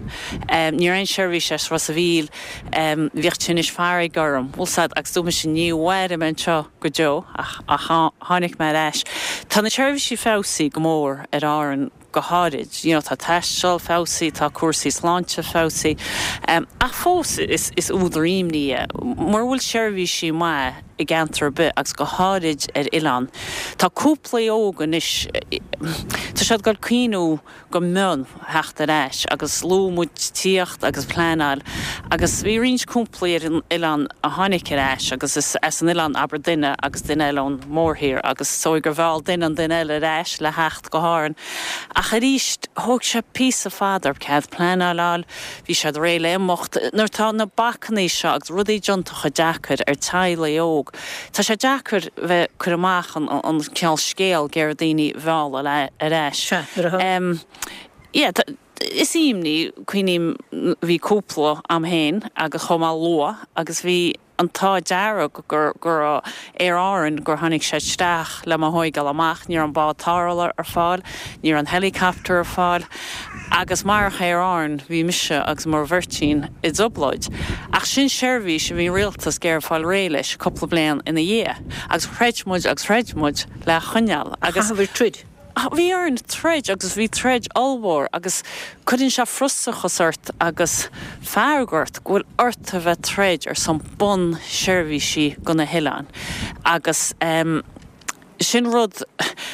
Ní raibh aon seirbhís as Ros a' Mhíl, bhíodh tinnis farraige orm, bhfuil 's a'd, agus dúirt mise ní mhairfidh mé anseo go deo, ach, ach tháinig mé ar ais. Tá na seirbhísí feabhsaithe go mór ar Árainn go háirid, you know, tá taisteal feabhsaithe, tá cúrsaí sláinte feabhsaithe, ach fós is, is údar imní é mura bhfuil seirbhísí maith i gceantar ar bith agus go háirid ar oileán. Tá cúplaí óg anois, tá siad ag dul cuimhniú go mion theacht ar ais agus luaigh muid tithíocht agus pleanáil agus bhí roinnt cúplaí ar an oileán a tháinig ar ais agus is as an oileán abair duine agus duine eile ón mórthír agus is dóigh gur mheall duine an duine eile ar ais le theacht go hÁrainn. Ach arís thóg sé píosa fada orthu cead pleanála a fháil, bhí siad réidh le imeacht. Nuair atá na bacannaí seo agus rudaí déanta chomh deacair ar teaghlaigh óg, tá sé deacair bheith cur amach an an cineál scéal ag iarraidh daoine a mhealladh ar ais. Sea, nuair atá. Em, yeah, is imní, cuimhním, bhí cúpla a'm féin agus chomh maith luath agus bhí an t-ádh dearg gur go raibh Aer Árann gur tháinig sé isteach le mo thóigeáil amach, ní raibh an bád tarrthála ar fáil, ní raibh an helicopter ar fáil agus marach Aer Árann bhí mise agus mo bheirtín i dtrioblóid. Ach sin seirbhís a bhí an rialtas ag iarraidh fáil réidh leis cúpla bliain ina dhiaidh agus throid muid agus throid muid le choinneáil agus. Chaithfear troid. bhí orainn troid agus bhí troid ollmhór agus cuireann sé frustrachas ort agus fearg ort go bhfuil ort a bheith troid ar son bunseirbhísí go na hoileáin agus um, sin rud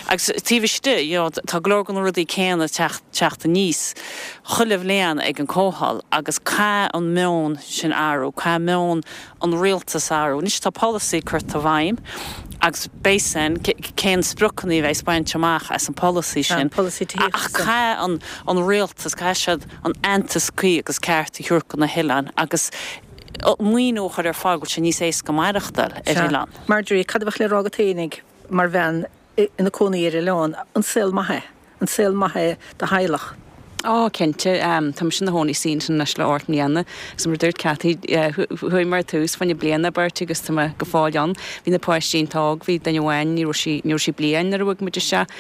agus taobh istigh you know, tá go leor de na rudaí céanna teacht teacht aníos chuile bhliain ag an comhdháil agus caithfidh an meon sin athrú, caithfidh meon an rialtas athrú. Anois tá polasaí curtha i bhfeidhm agus b'shin cén spriocanna a bheas bainte amach as an polasaí sin. Ach caithfidh an an rialtas caithfidh siad an aitheantas cuí agus ceart a thabhairt do na hoileáin agus maoiniú a chur ar fáil go bhfuil sé níos éasca maireachtáil ar oileán. Marjorie, cad a bheadh le rá agat fhéinig mar bhean ina cónaí ar oileán, an saol maith é, an saol maith é do theaghlach? Ó cinnte tá mise i mo chónaí ansin anois le ocht mbliana agus mar dúirt Cathy chuaigh mar tús fá choinne bliana beirt agus tá mé go fóill ann. Bhí na páistí an-óg, bhí duine amháin ní raibh sí ní raibh sí bliain nuair a bhog muid isteach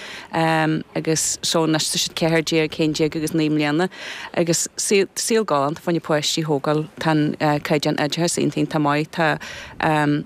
agus so anois tá siad ceathair déag, haon déag agus naoi mbliana agus saol galánta fá choinne páistí a thógáil tá an caighdeán oideachais iontach iontach maith tá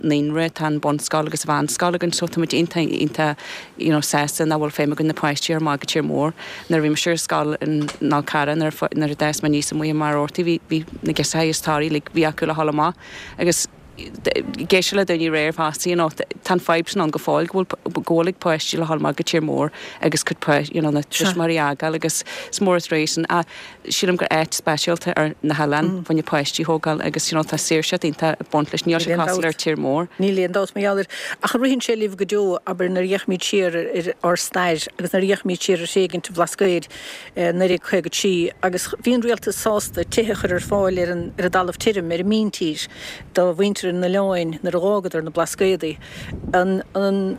naíonra tá an bunscoil agus mheánscoil againn so tá muid iontach iontach you know sásta nach bhfuil feidhm againn na páistí a chur amach go tír mór. Nuair a bhí mise ar scoil in Fhál Carrach nuair nuair a d'fhás mé aníos amuigh i mBarr Rabhartaigh bhí bhí na girseachaí is Toraigh like bhí acu le dhul amach agus géise le daoine réir fosta you know tá an fadhb sin ann go fóill go bhfuil go bhfuil ag páistí le dhul amach go tír mór agus cuid you know na tuismitheoirí a fhágáil agus is mór an trua sin ach sílim gur áit speisialta ar na hoileáin fá choinne páistí a thógáil agus you know tá saoirse iontach ag baint leis níl sé cosúil ar tír mór. Níl aon dabht mar gheall air ach ritheann sé libh go deo abair nuair a fhéachaimid siar ar ár stair agus nuair a fhéachaimid siar ar thréigint an Bhlascaoid naoi déag caoga trí agus bhí an rialtas sásta tithe a chur ar fáil ar an ar an dtalamh tirim ar an míntír do mhuintir an oileáin nuair a dh'fhágadar na Blascaodaí. An an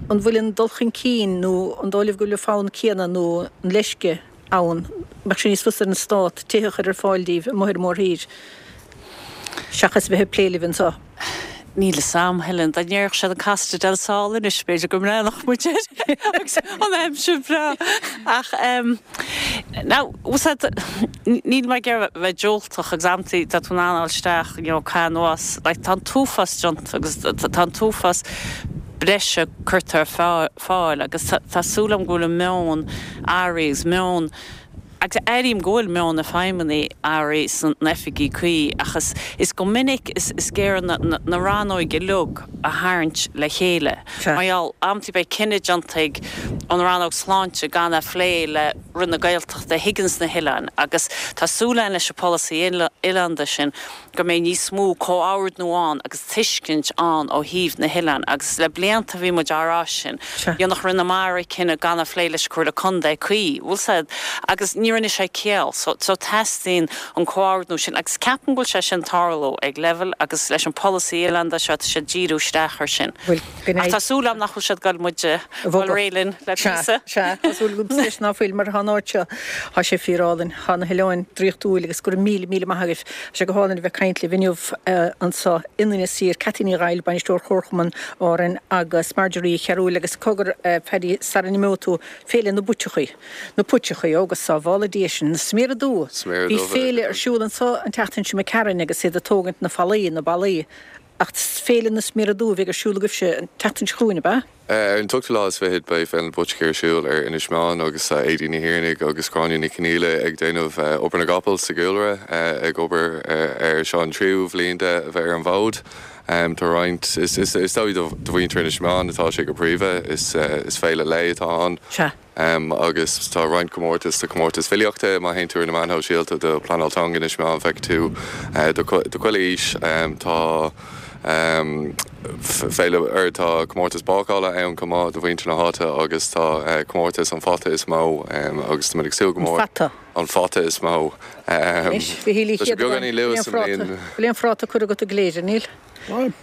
an bhfuil an dul chun cinn nó an dóigh libh go bhfuil an fonn céanna nó an leisce ann, mbeadh sé níos fusa ar an stát tithe a chur ar fáil daoibh amuigh ar an mórthír seachas bheith ag plé libh anseo? Níl fhios a'm, Helen, dá ndéarfadh siad an Costa del Sol anois, b'fhéidir go mbreathnódh muid air agus an aimsir breá. Ach now, bhfuil fhios a'd, níl mé ag iarraidh bheith diúltach agus amantaí tá tú in ann a fháil isteach, you know, caith anuas, like tá an t-uafás déanta agus tá an t-uafás breise curtha ar fáil agus tá súil agam go bhfuil an meon athraithe agus meon agus airím go bhfuil meon na feidhmeannaigh athraithe san oifigí cuí ach is is go minic is is géire na na rannóig uilig a tharraingt le chéile. Mar gheall amantaí beidh cinneadh déanta ag an rannóg sláinte gan a phlé le Roinn na Gaeltachta a thuigeann sna hoileáin agus tá súil againn leis an polasaí oileánda sin go mbeidh níos mó comhordnú ann agus tuiscint ann ó thaobh na hoileán agus le blianta bhí muid á rá sin. Dhéanfadh Roinn na Mara cinneadh gan a phlé leis an Chomhairle Contae cuí, bhfuil fhios a'd, agus ní rinne sé ciall. So so teastaíonn an comhordnú sin agus ceapaim go bhfuil sé sin tarlú ag leibhéal agus leis an polasaí oileánda seo tá siad díriú isteach ar sin. Ach tá súil agam nach bhfuil siad ag goil muid a fháil réidh linn le píosa. Sea, tá súil agam leis ná fuil mar tá an áit seo, tá sé fíorálainn, tá na hoileáin draíochtúil agus go raibh míle míle maith agaibh. Tá sé go hálainn a bheith ag caint libh inniu anseo in Inis Oírr, Cathy Ní Dhaill, Bainisteoir Chomharchumann Árann agus Marjorie Uí Chearúil agus cogar Paddy sara n-imeoidh tú, Féile na bPuiteachaí, na Puiteachaí, ó go sábhála Dia sinn, na sméara dubha. Bhí féile ar siúl anseo an tseachtain seo imigh tharainn agus iad ag tógaint na fallaí, na ballaí. Ach Féile na Sméara Dubha a bheidh ar siúl agaibhse an tseachtain seo chugainn, ab ea? Ar an t-ochtú lá is fichead beidh Féile na bPuiteachaí ar siúl ar Inis Meáin agus tá Aedín Ní Thiarnaigh agus Gráinne Ní Chonghaile ag déanamh obair na gcapall sa gcúlra, ag obair ar seo an tríú bhliain de a bheith ar an bhfód. Tá roinnt, is dóigh do mhuintir Inis Meáin atá sé go príomha, is féile lae atá ann. Sea. Agus tá roinnt comórtas, tá comórtas filíochta, má théann tú ar na meáin shóisialta do Pleanáil Teanga Inis Meáin feicfidh tú do chuile aois. Tá féile, or tá comórtas bácála ann chomh maith do mhuintir na háite agus tá comórtas an fata is mó agus tá muid ag súil go mór. An fata? An fata is mó. Anois, bhí Tá sé beagáinín luath sa mbliain. Bhfuil aon phráta curtha agat i gCléire, níl?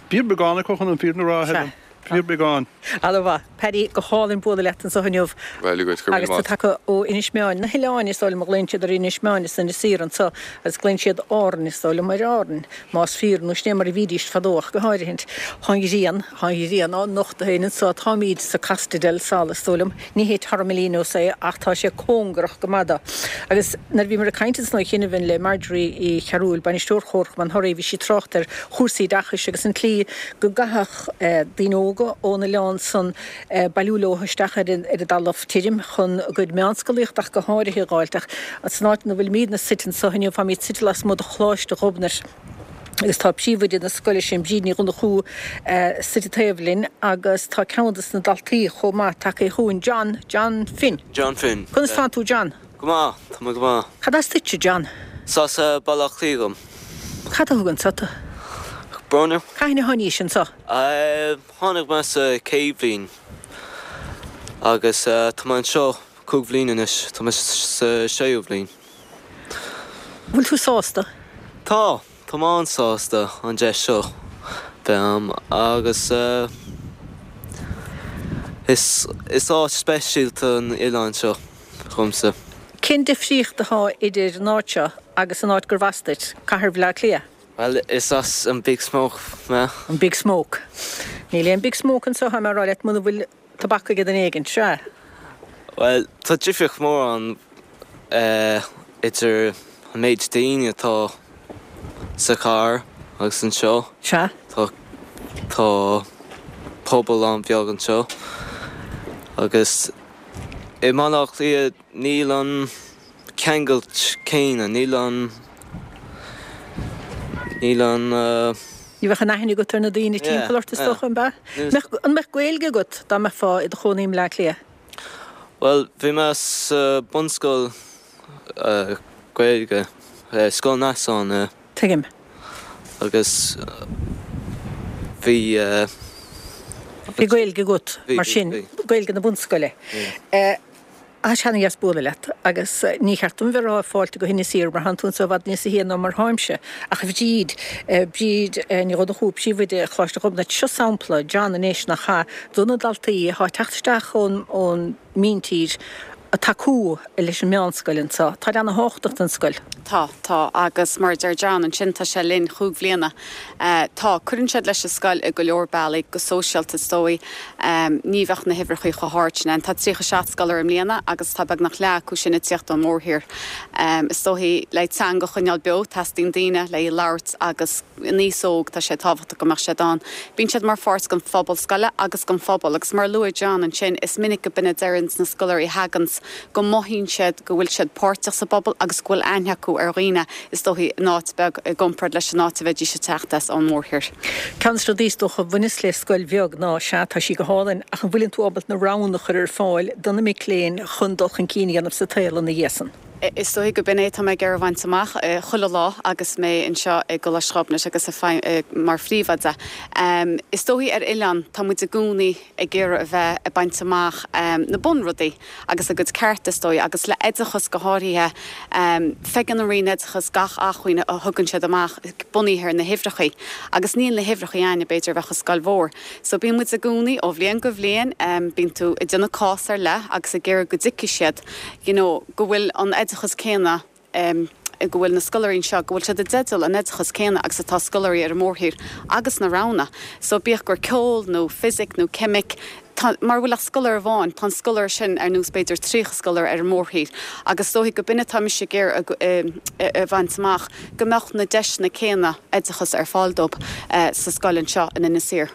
Fíorbheagán acu chun an fírinne a rá, Helen. Fíorbheagán. Ana mhaith. Paddy, go hálainn bualadh leat anseo inniu. Bhuel, go raibh míle Agus tú maith. tagtha ó Inis Meáin, na hoileáin is dóigh liom a ghlaonn siad ar Inis Meáin is Inis Oírr anseo agus glaonn siad Árainn is dóigh liom ar Árainn, más fíor nó sin é mar a bhídís fadó ach go háirithint. Tá an ghrian, tá an ghrian á nochtadh féin anseo, táimid sa Costa del Sol is dóigh liom, ní hé Torremolinos é ach tá sé cóngarach go maith dó. Agus nuair a bhíomar ag caint ansan ó chianaibh le Marjorie Uí Chearúil, bainisteoir Chomharchumann Thoraí, bhí sí ag trácht ar chúrsaí oideachais agus an tslí go gcaithfeadh daoine óga, óga ón oileán san bailiú leo isteach ar an ar an dtalamh tirim chun a gcuid meánscolaíocht ach go háirithe a dh'fháilt ach san áit ina bhfuilimidne suite anseo inniu táimid suite lasmuigh de Choláiste Ghobnait agus tá príomhoide na scoile sin Bríd Ní Dhonnchú suite taobh linn agus tá ceann de na daltaí chomh maith tagtha chugainn John, John Finn. John Finn. Conas tánn tú John? Go maith, tá mé go maith. Cad as duitse John? Is as Baile Átha Cliath dom. Cad a thug anso tú? Bronagh. Cathain a tháinís anso? Tháinig mé sa chéad bhliain agus tá mé anseo cúig bhliain anois, tá mé sa séú bhliain. Bhfuil tú sásta? Tá, tá mé an-sásta an deis seo bheith a'm agus is is áit speisialta an oileán seo dhomsa. Cén difríocht atá idir an áit seo agus an áit gurbh as duit, Cathair Bhaile Átha Cliath? Bhuel, is as an Big Smoke mé. An Big Smoke. Níl aon Big Smoke anseo, tá mé a rá leat, muna bhfuil tobac ag duine éigin, sea? Bhuel, tá difríocht mór ann idir an méid daoine atá sa chathair agus anseo. Sea. Tá tá pobal an-bheag anseo agus i mBaile Átha Cliath níl an ceangal céanna, níl an níl an. Ní bheadh an aithne agat ar na daoine timpeall ort is dócha, an bea? An mbeadh Gaeilge agat dá mbeifeá i do chónaí i mBleá Cliath? Bhuel, bhí mé sa bunscoil Gaeilge, Scoil Neasáin. Tuigim. Agus bhí. Bhí Gaeilge agat mar sin, Gaeilge na bunscoile. Tá sé ana-dheas bualadh leat agus ní cheart dom bheith ag rá fáilte go hInis Oírr mar thánn tú anseo i bhfad níos sia ná mar tháimse. Ach a Bhríd, Bríd Ní Dhonnchú, Príomhoide Choláiste Ghobnait, seo sampla, John anois nach ea, do na daltaí atá ag teacht isteach ón ón míntír ag tacú leis an meánscoil anseo. Táid ana-thábhachtach don scoil. Tá, tá, agus mar a deir John ansin tá sé linn chúig bhliana. Tá, cuireann siad leis an scoil i go leor bealaí, go sóisialta is dóigh. Ní bheadh na huimhreacha chomh hard sin ann. Tá tríocha seacht scoláire i mbliana agus tá beagnach leath acu sin ag tíocht ón mórthír. Is dóigh le teanga a choinneáil beo, teastaíonn daoine le í a labhairt agus in aois óg tá sé tábhachtach go mbeadh siad ann. Bíonn siad mar pháirt den phobal scoile agus den phobal agus mar a luaigh John ansin is minic go b'in a deireanns na scoláirí a thaganns go mothaíonn siad go bhfuil siad páirteach sa bpobal agus go bhfuil aithne acu ar dhaoine, is dóichí, in áit beag i gcomparáid leis an áit a bheidís ag teacht as ón mórthír. Ceann de na rudaí is dócha a bhaineas le scoil bheag ná, sea, tá sí go hálainn, ach an bhfuileann tú ábalta na roghanna a chur ar fáil do na mic léinn chun dul chun cinn a dhéanamh sa tsaol ina dhiaidh san? Is dóichí go b'in é atá mé ag iarraidh a bhaint amach chuile lá agus mé anseo i gColáiste Ghobnait agus mar phríomhoide. Is dóichí ar oileán tá muid i gcónaí ag iarraidh a bheith ag baint amach na bunrudaí agus a gcuid cearta is dóigh agus le oideachas go háirithe. Feiceann an Roinn Oideachais gach acmhainn a thugann siad amach bunaithe ar na huimhreachaí agus níl na huimhreachaí a'inne b'fhéidir a bheadh i scoil mhór. So bíonn muid i gcónaí ó bhliain go bhliain bíonn tú ag déanamh cás ar leith agus ag iarraidh go dtuigfidh siad you know go bhfuil an oideachas céanna go bhfuil na scoláirí anseo, go bhfuil siad i dteideal an oideachas céanna agus atá scoláirí ar an mórthír agus na roghanna. So bíodh gur ceol nó fisic nó ceimic, tá, mara bhfuil ach scoláire amháin, tá an scoláire sin ar nós b'fhéidir tríocha scoláire ar an mórthír agus is dóichí go b'in atá mise ag iarraidh a bhaint amach, go mbeadh na deiseanna céanna oideachas ar fáil dóibh sa scoil anseo in Inis Oírr.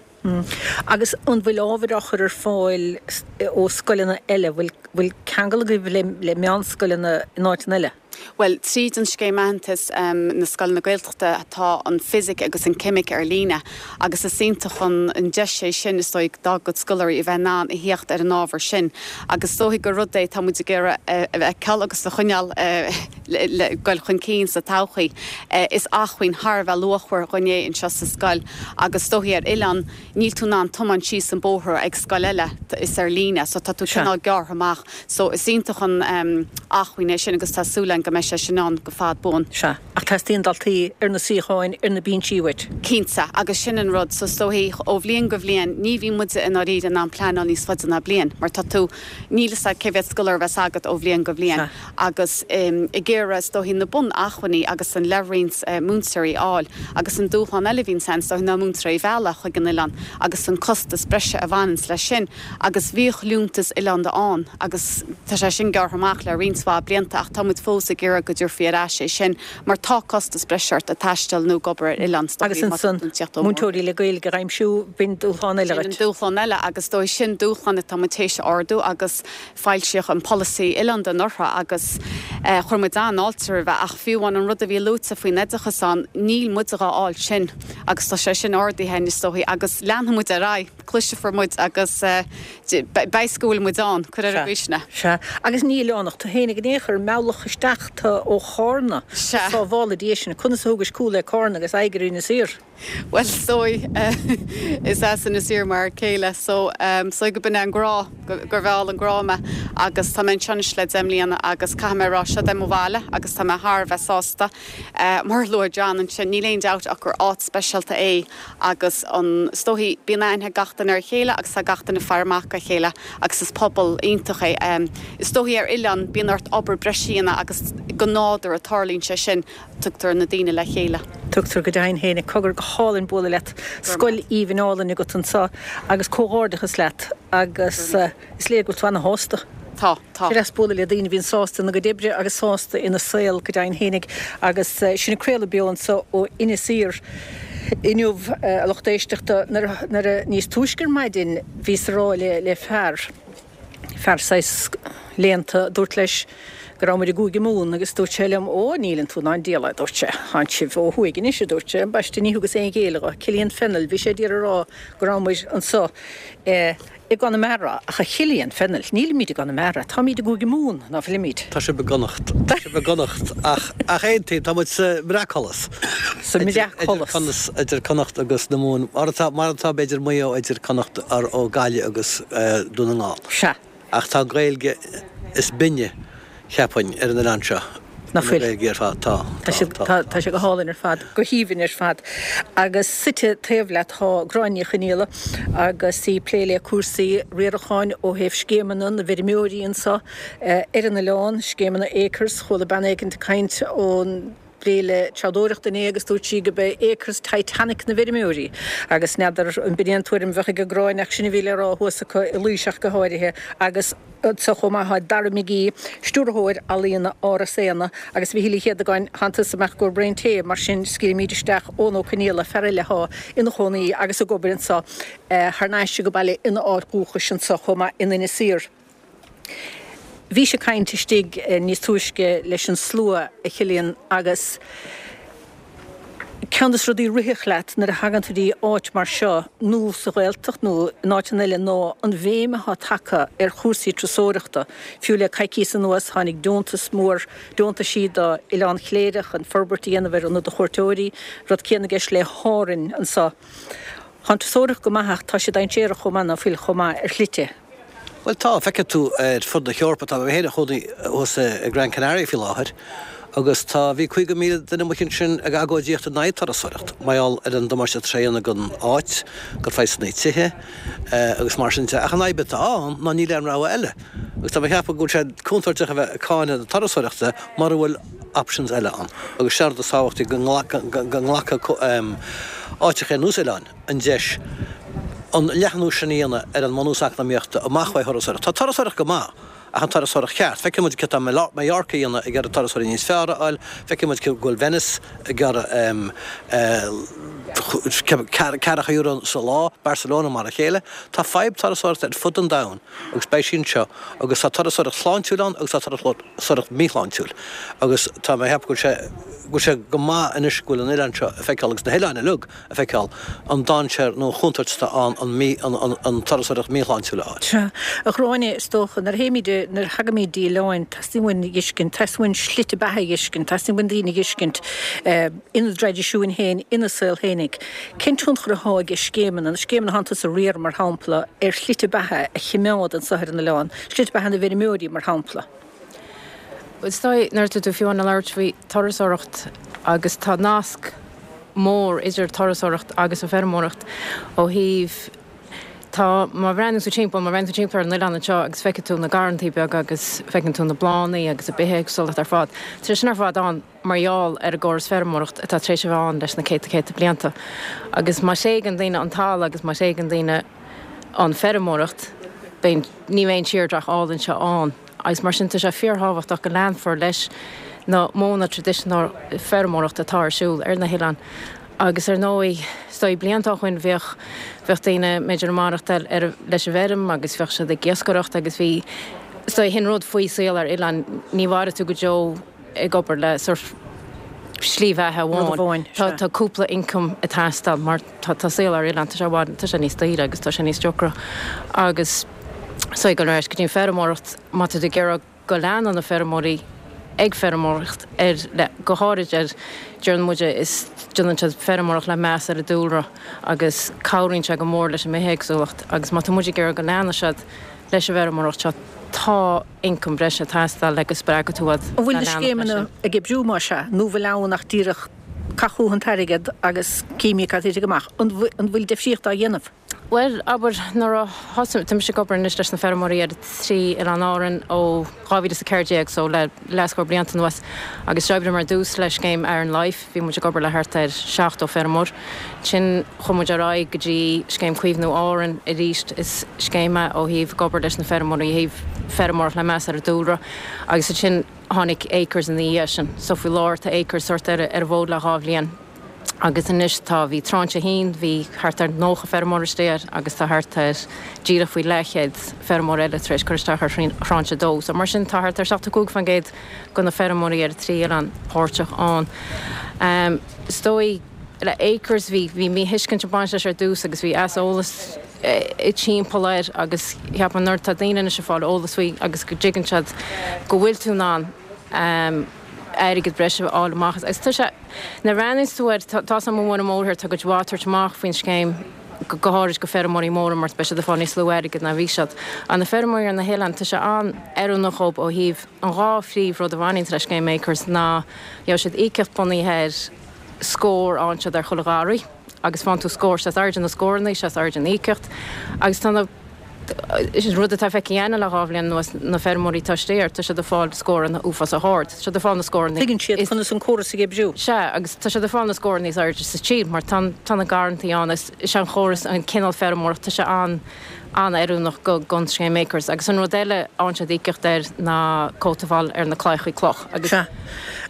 Agus an bhfuil ábhair á chur ar fáil ó scoileanna eile? Bhfuil bhfuil ceangal agaibh le le meánscoileanna in áiteanna eile? Bhuel, tríd an scéim aitheantais na scoileanna Gaeltachta tá an fisic agus an ceimic ar líne agus is iontach an an deis é sin is dóigh dá gcuid scoláirí a bheith in ann a thíocht ar an ábhar sin agus is dóigh gur rud é tá muid ag iarraidh a fheiceáil agus a choinneáil le goil chun cinn sa todhchaí. Is acmhainn thar a bheith luachmhar dhúinn é anseo sa scoil agus is dóichí ar oileán níl tú in ann tiomáint síos an bóthar ag scoil eile, is ar líne so tá tú cineál gearrtha amach so is iontach an acmhainn é sin agus tá súil againn go mbeidh sé sin ann go fad buan. Sea, ach teastaíonn daltaí ar na suíocháin ar na binsí uait. Cinnte, agus sin an rud so is dóichí ó bhliain go bhliain ní bhíonn muide i ndáiríre in ann pleanáil níos faide ná bliain mar tá tú, níl fhios agat cé mhéad scoláire a bheas agat ó bhliain go bhliain agus ag iarraidh is dóichí na bun-acmhainní agus an leithroinnt múinteoirí a fháil agus an dúshlán eile a bhíonns ann is dóichí ná múinteoirí a mhealladh chuig an oileán agus an costas breise a bhaineanns leis sin agus bhíodh liúntas oileánda ann agus tá sé sin gearrtha amach le roinnt mhaith blianta ach tá muid fós ag ag iarraidh go dtabharfaí ar ais é sin mar tá costas breise ort ag taisteal nó ag obair ar oileán is Agus dóichí má tá ansan tú ag tíocht ó mhór. múinteoirí le Gaeilge a aimsiú, b'in dúshlán eile Sin an dhuit. dúshlán eile agus is dóigh sin dúshlán atá muid théis a ardú agus foilsíodh an polasaí oileánda anuraidh agus chuir muid an-fháilte roimhe ach fiú amháin an rud a bhí luaite faoin oideachas ann, níl muid dhá fháil sin agus tá sé sin ardaithe againn is dóichí agus leanfaidh muid ar aghaidh, cloisfear muid agus beidh go bhfuil muid ann, cuir ar an gcaoi sin é. Sea, agus ní oileánach tú fhéinig in aon chor, mealladh isteach tú ó Chárna, Sea. Sábhála Dia sinn, conas a thugais cúl le Cárna agus aghaidh ar Inis Oírr? Bhuel, is dóigh, is as Inis Oírr m'fhear céile so is dóigh go b'in é an grá, gur mheall an grá mé agus tá mé anseo anois le deich mbliana agus caithfidh mé a rá, seo é mo bhaile agus tá mé thar a bheith sásta. Mar a luaigh John ansin, níl aon dabht ach gur áit speisialta é agus an, is dóichí, bíonn aithne ag gach duine ar a chéile agus tá gach duine ag faire amach dá chéile agus is pobal iontach é. Is dóichí ar oileán bíonn ort obair breise a dhéanamh agus go nádúrtha tarlaíonn sé sin, tugtar na daoine le chéile. Tugtar go deimhin féin, cogar go hálainn bualadh leat, scoil aoibhinn álainn agat anseo agus comhghairdeachas leat agus is léir go bhfuil tú ana-shásta. Tá, tá. Is deas bualadh le daoine a bhíonn sásta ina gcuid oibre agus sásta ina saol go deimhin fhéinig agus sinn ag craoladh beo anseo ó Inis Oírr inniu, a lucht éisteachta, nuair a, nuair a, níos túisce ar maidin bhíos ag rá le, le fear, fear saghas léannta, dúrt leis go raibh muid i gCúige Mumhan agus dúirt sé liom, Ó, níleann tú ná an diabhal é, a dúirt sé, tánn sibh ó thuaidh anois, a dúirt sé, ambaiste ní thugas aon ghéilleadh dho, Cillian Fennell, bhí sé d'iarraidh a rá go raibh muid anso i gConamara, ach a Chillian Fennell, nílimid i gConamara, táimid i gCúige Mumhan, ná fuilimid? Tá sibh i gConnacht, tá sibh i gConnacht, ach, ach aontaím, tá muid sa mbreacsholas. Sa mbreacsholas. Idir Connacht agus na Mumhan, mar atá, mar atá b'fhéidir Maigh Eo idir Connacht, ó Gaillimh agus Dún na nGall. Sea. Ach tá an Ghaeilge is binne, cheapfainn, ar an oileán seo. Nach fuil? An Ghaeilge ar fad, tá, Tá tá, siad, tá. tá, tá sé go hálainn ar fad, go haoibhinn ar fad. Agus suite taobh leat tá Gráinne Ní Chonaola agus í ag plé le cúrsaí riaracháin ó thaobh scéimeanna na bhfeirmeoirí anseo ar an oileán, scéimeanna Acres. Chuala bean éigint ag caint ón bhféile treabhdóireachta inné agus dúirt sí gurb é Acres Titanic na bhfeirmeoirí agus n'fheadar an b'in é an tuairim a bheadh ag Gráinne ach sin a bhí le rá thuas acu i Laois ach go háirithe agus anseo chomh maith tá Dara McGee, Stiúrthóir Ealaíona Áras Éanna agus a Mhichíl Uí Chéadagáin, thánn tusa amach i gcomhair braon tae mar sin scaoilfimid isteach Eoin Ó Conaola, fear eile athá ina chónaí agus ag obair anseo thar n-ais ag baile ina áit dhúchais anseo chomh maith in Inis Oírr. Bhís ag caint istigh níos túisce leis an slua, a Chillian, agus ceann de na rudaí a rithfeadh leat nuair a thagann tú dtí áit mar seo, nó sa Ghaeltacht nó in áiteanna eile, ná an bhéim atá tagtha ar chúrsaí turasóireachta. Fiú le coicíos anuas tháinig deontas mór, deontaisí do Oileán Chléire chun forbairt a dhéanamh ar ionad do chuairteoirí, rud céanna i gceist le hÁrainn anseo. Tá an turasóireacht go maith ach tá sé dainséarach chomh maith, ná fuil, chomh maith ar shlite. Bhuel tá, feicfidh tú ar fud na hEorpa, tá mé féin i mo chónaí thuas i Gran Canaria faoi láthair agus tá, bhí caoga míle duine amuigh ansin ag agóidíocht in aghaidh turasóireacht, mar gheall ar an damáiste atá sé a dhéanamh don áit, do phraghsanna tithe agus mar sin de. Ach an fhadhb atá ann ná níl aon rogha eile agus tá mé ag ceapadh go bhfuil sé contúirteach a bheith ag cáineadh na turasóireachta mura bhfuil options eile ann agus sin an rud is tábhachtaí go nglacfaidh áiteacha ar nós oileáin an deis an leathnú sin a dhéanamh ar an mbunús eacnamaíochta amach ó thurasóireacht. Tá turasóireacht go maith, ach an turasóireacht cheart. Feiceann muid céard atá Mallorca a dhéanamh ag iarraidh turasóirí níos fearr a fháil, feiceann muid go bhfuil Venice ag iarraidh ceathracha euro sa lá, Barcelona mar a chéile. Tá fadhb turasóireachta ar fud an domhain agus beidh sí anseo agus tá turasóireacht shláintiúil ann agus tá turasóireacht míshláintiúil agus tá mé ag ceapadh go bhfuil sé go bhfuil sé go maith anois go bhfuil an oileán seo ag feiceáil agus na hoileáin uilig a feiceáil an dainséar nó an chontúirt atá ann an mí an an an turasóireacht míshláintiúil a fháil. Sea, a Ghráinne, is dócha, nuair a théimid, nuair a thagaimid dtí oileáin, teastaíonn uainn a dh'fheiscint, teastaíonn uainn slite beatha a dh'fheiscint, teastaíonn uainn daoine a dh'fheiscint ina dtraidisiúin féin, ina saol féinig. Cén tionchar athá ag scéimeanna, na scéimeanna athánn tusa a riar, mar shampla, ar shlite beatha a chimeád anso ar an oileán, slite beatha na bhfeirmeoirí, mar shampla? Is dóigh, nuair atá tú fiú ag labhairt faoi turasóireacht agus tá nasc mór idir turasóireacht agus an feirmeoireacht ó thaobh tá má bhreathnaíonn tú timpeall, má bhreathnaíonn tú timpeall ar an oileán anseo agus feicfidh tú na garrantaí beaga agus feiceann tú na bláthanna agus an bithéagsúlacht ar fad, tá sé sin ar fad ann mar gheall ar an gcóras feirmeoireacht atá tar éis a bheith ann leis na céadta céadta blianta. Agus má thréigeann daoine an talamh agus má thréigeann daoine an feirmeoireacht, beidh, ní bheidh an tírdhreach álainn seo ann. Agus mar sin tá sé fíorthábhachtach go leanfar leis na modhanna traidisiúnta feirmeoireachta atá ar siúl ar na hoileáin. Agus ar ndóigh, is dóigh blianta ó shoin bheadh, bheadh daoine b'fhéidir ag maireachtáil ar, leis an bhfeirm agus bheadh siad ag iascaireacht agus bhí, is dóigh, sin rud faoi saol ar oileán, ní mhairfidh tú go deo ag obair le sórt slí bheatha amháin. Tá, tá cúpla income ag teastáil mar tá, tá saol ar oileán, tá sé i bhfad, tá sé níos daoire agus tá sé níos deacra. Agus is dóigh ag dul ar ais go dtí an feirmeoireacht, má tá tú ag iarraidh go leanann na feirmeoirí ag feirmeoireacht ar le go háirid ar deireann muide is déanann siad feirmeoireacht le meas ar an dúlra agus cabhraíonn sé go mór leis an mbithéagsúlacht agus má tá muid ag iarraidh go leanfaidh siad leis an bhfeirmeoireacht seo tá ioncam breise ag teastáil le go spreagfaidh tú iad An bhfuil le na leanacht leis scéimeanna sin. ag oibriú más ea nó bhfuil ann ach díreach caith chugat an t-airgead agus címid cad a thitfidh amach? An bhfuil difríocht á dhéanamh? Bhuel, abair, nuair a thosaigh, tá mise ag obair anois leis na feirmeoirí ar trí Oileán Árann ó dhá mhíle is a ceathair déag, so le leathscór blianta anuas, agus d'oibríomar ar dtús le scéim Aran Life, bhí muid ag obair le thart ar seachtó feirmeoir. Ansin chuaigh muid ar aghaidh go dtí scéim Caomhnú Árann arís, is scéim é ó thaobh ag obair leis na feirmeoirí ó thaobh feirmeoireacht le meas ar an dúlra, agus ansin tháinig Acres ina dhiaidh sin. So faoi láthair tá Acres sórt ar ar an bhfód le dhá bhliain. Agus anois tá, bhí tráinse a haon, bhí thart ar nócha feirmeoir istigh air agus tá thart ar díreach faoi leathchéad feirmeoir eile tar éis cur isteach ar thráinse a dó. So mar sin tá thart ar seachtó cúig faoin gcéad de na feirmeoirí ar an trí oileán páirteach ann. Is dóigh le Acres bhí, bhí míthuiscint ag baint leis ar dtús agus bhí easolas timpeall air agus cheapfainn nuair atá daoine anois ag fáil eolas faoi agus go dtuigeann siad go bhfuil tú in ann airgead breise a fháil amach agus tá sé, nuair a bhreathnaíonns tú air, tá tá's agam i mBun an Mhóthair, tá cuid mhaith ag tabhairt amach faoin scéim, go háirid go feirmeoirí móra mar beidh siad ag fáil níos lú airgid ná bhí siad. Ach na feirmeoirí ar na hoileáin, tá sé an-oiriúnach dhóibh ó thaobh an dhá phríomh rud a bhaineanns le scéim Acres ná gheobhaidh siad íocaíocht bunaithe ar scór a fhaigheann siad ar chuile gharraí agus faigheann tú scór, sé is airde na scóranna, sé is airde an íocaíocht agus tá na Is rud atá feicthe againne le dhá bhliain anuas, na feirmeoirí atá istigh air, tá siad ag fáil scóranna uafásach ard. Tá siad ag fáil na scóranna. Tuigeann siad conas an córas ag oibriú. Sea, agus tá siad ag fáil na scóranna is airde sa tír mar tá tá na garrantaí ann is is é an chóras, an cineál feirmeoireachta, tá sé an an-oiriúnach go don scéim Acres. Agus an rud eile a fhaigheann siad íocaíocht air ná cóta a fháil ar na claíochaí cloch agus Sea.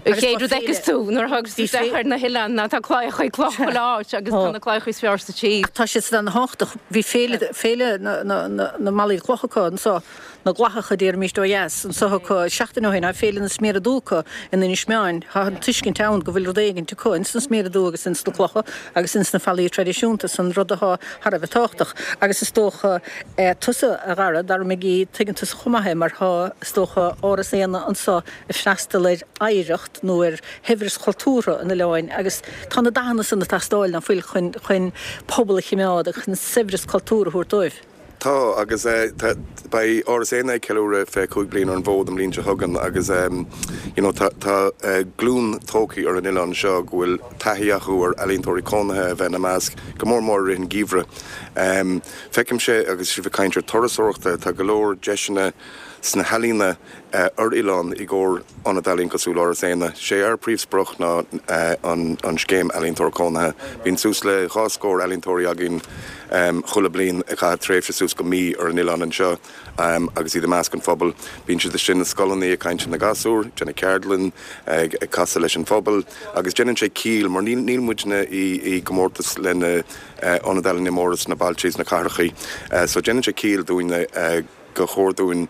An chéad rud a fheiceas tú nuair a thagas tú isteach ar na hoileáin ná tá claíochaí cloch chuile áit agus tá na claíochaí is fearr sa tír. Tá siad san ana-thábhachtach. Bhí féile, féile na, na, na, na mballaí cloch acu anso, na gclathacha a déarfaimíst ó dheas, anso acu seachtain ó shin, tá féile na sméara dubha acu in Inis Meáin. Tá an tuiscint ann go bhfuil rud éigint acu ins na sméara dubha agus ins na clocha agus ins na fallaí traidisiúnta san, rud atá thar a bheith tábhachtach. Agus is dócha, tusa, a Dhara, Dara McGee, tuigeann tusa chomh maith é mar tá, is dócha, Áras Éanna anso ag freastal ar oidhreacht nó ar shaibhreas chultúrtha an oileáin agus tá na dathanna san ag teastáil, ná fuil, chun chun pobal a chimeád agus chun saibhreas cultúrtha a thabhairt dóibh. Tá, agus tá, beidh Áras Éanna ag ceiliúradh fiche cúig bliain ar an bhfód an bhliain seo chugainn agus you know tá tá glúin tógtha ar an oileán seo go bhfuil taithí acu ar ealaíontóirí cónaithe a bheith ina measc, go mór mór i rith an gheimhridh. Feicimse, agus sibh ag caint ar turasóireachta, tá go leor deiseanna sna healaíona ar oileán i gcomhair ionad ealaíon cosúil le Áras Éanna. Sé ár príomhsprioc ná an scéim Ealaíontóir Cónaithe. Bíonn suas le dhá scór ealaíontóirí againn chuile bliain ag caitheamh tréimhse suas go mí ar an oileán anseo agus iad i measc an phobail. Bíonn siad istigh na scoileanna ag caint leis na gasúir, déanamh ceardlann, ag casadh leis an phobal agus déanann sé ciall mar níl muidne i gcomórtas le na ionaid ealaíne móra sna bailte is na cathrachaí so déanann sé ciall dúinne gur chóir dúinn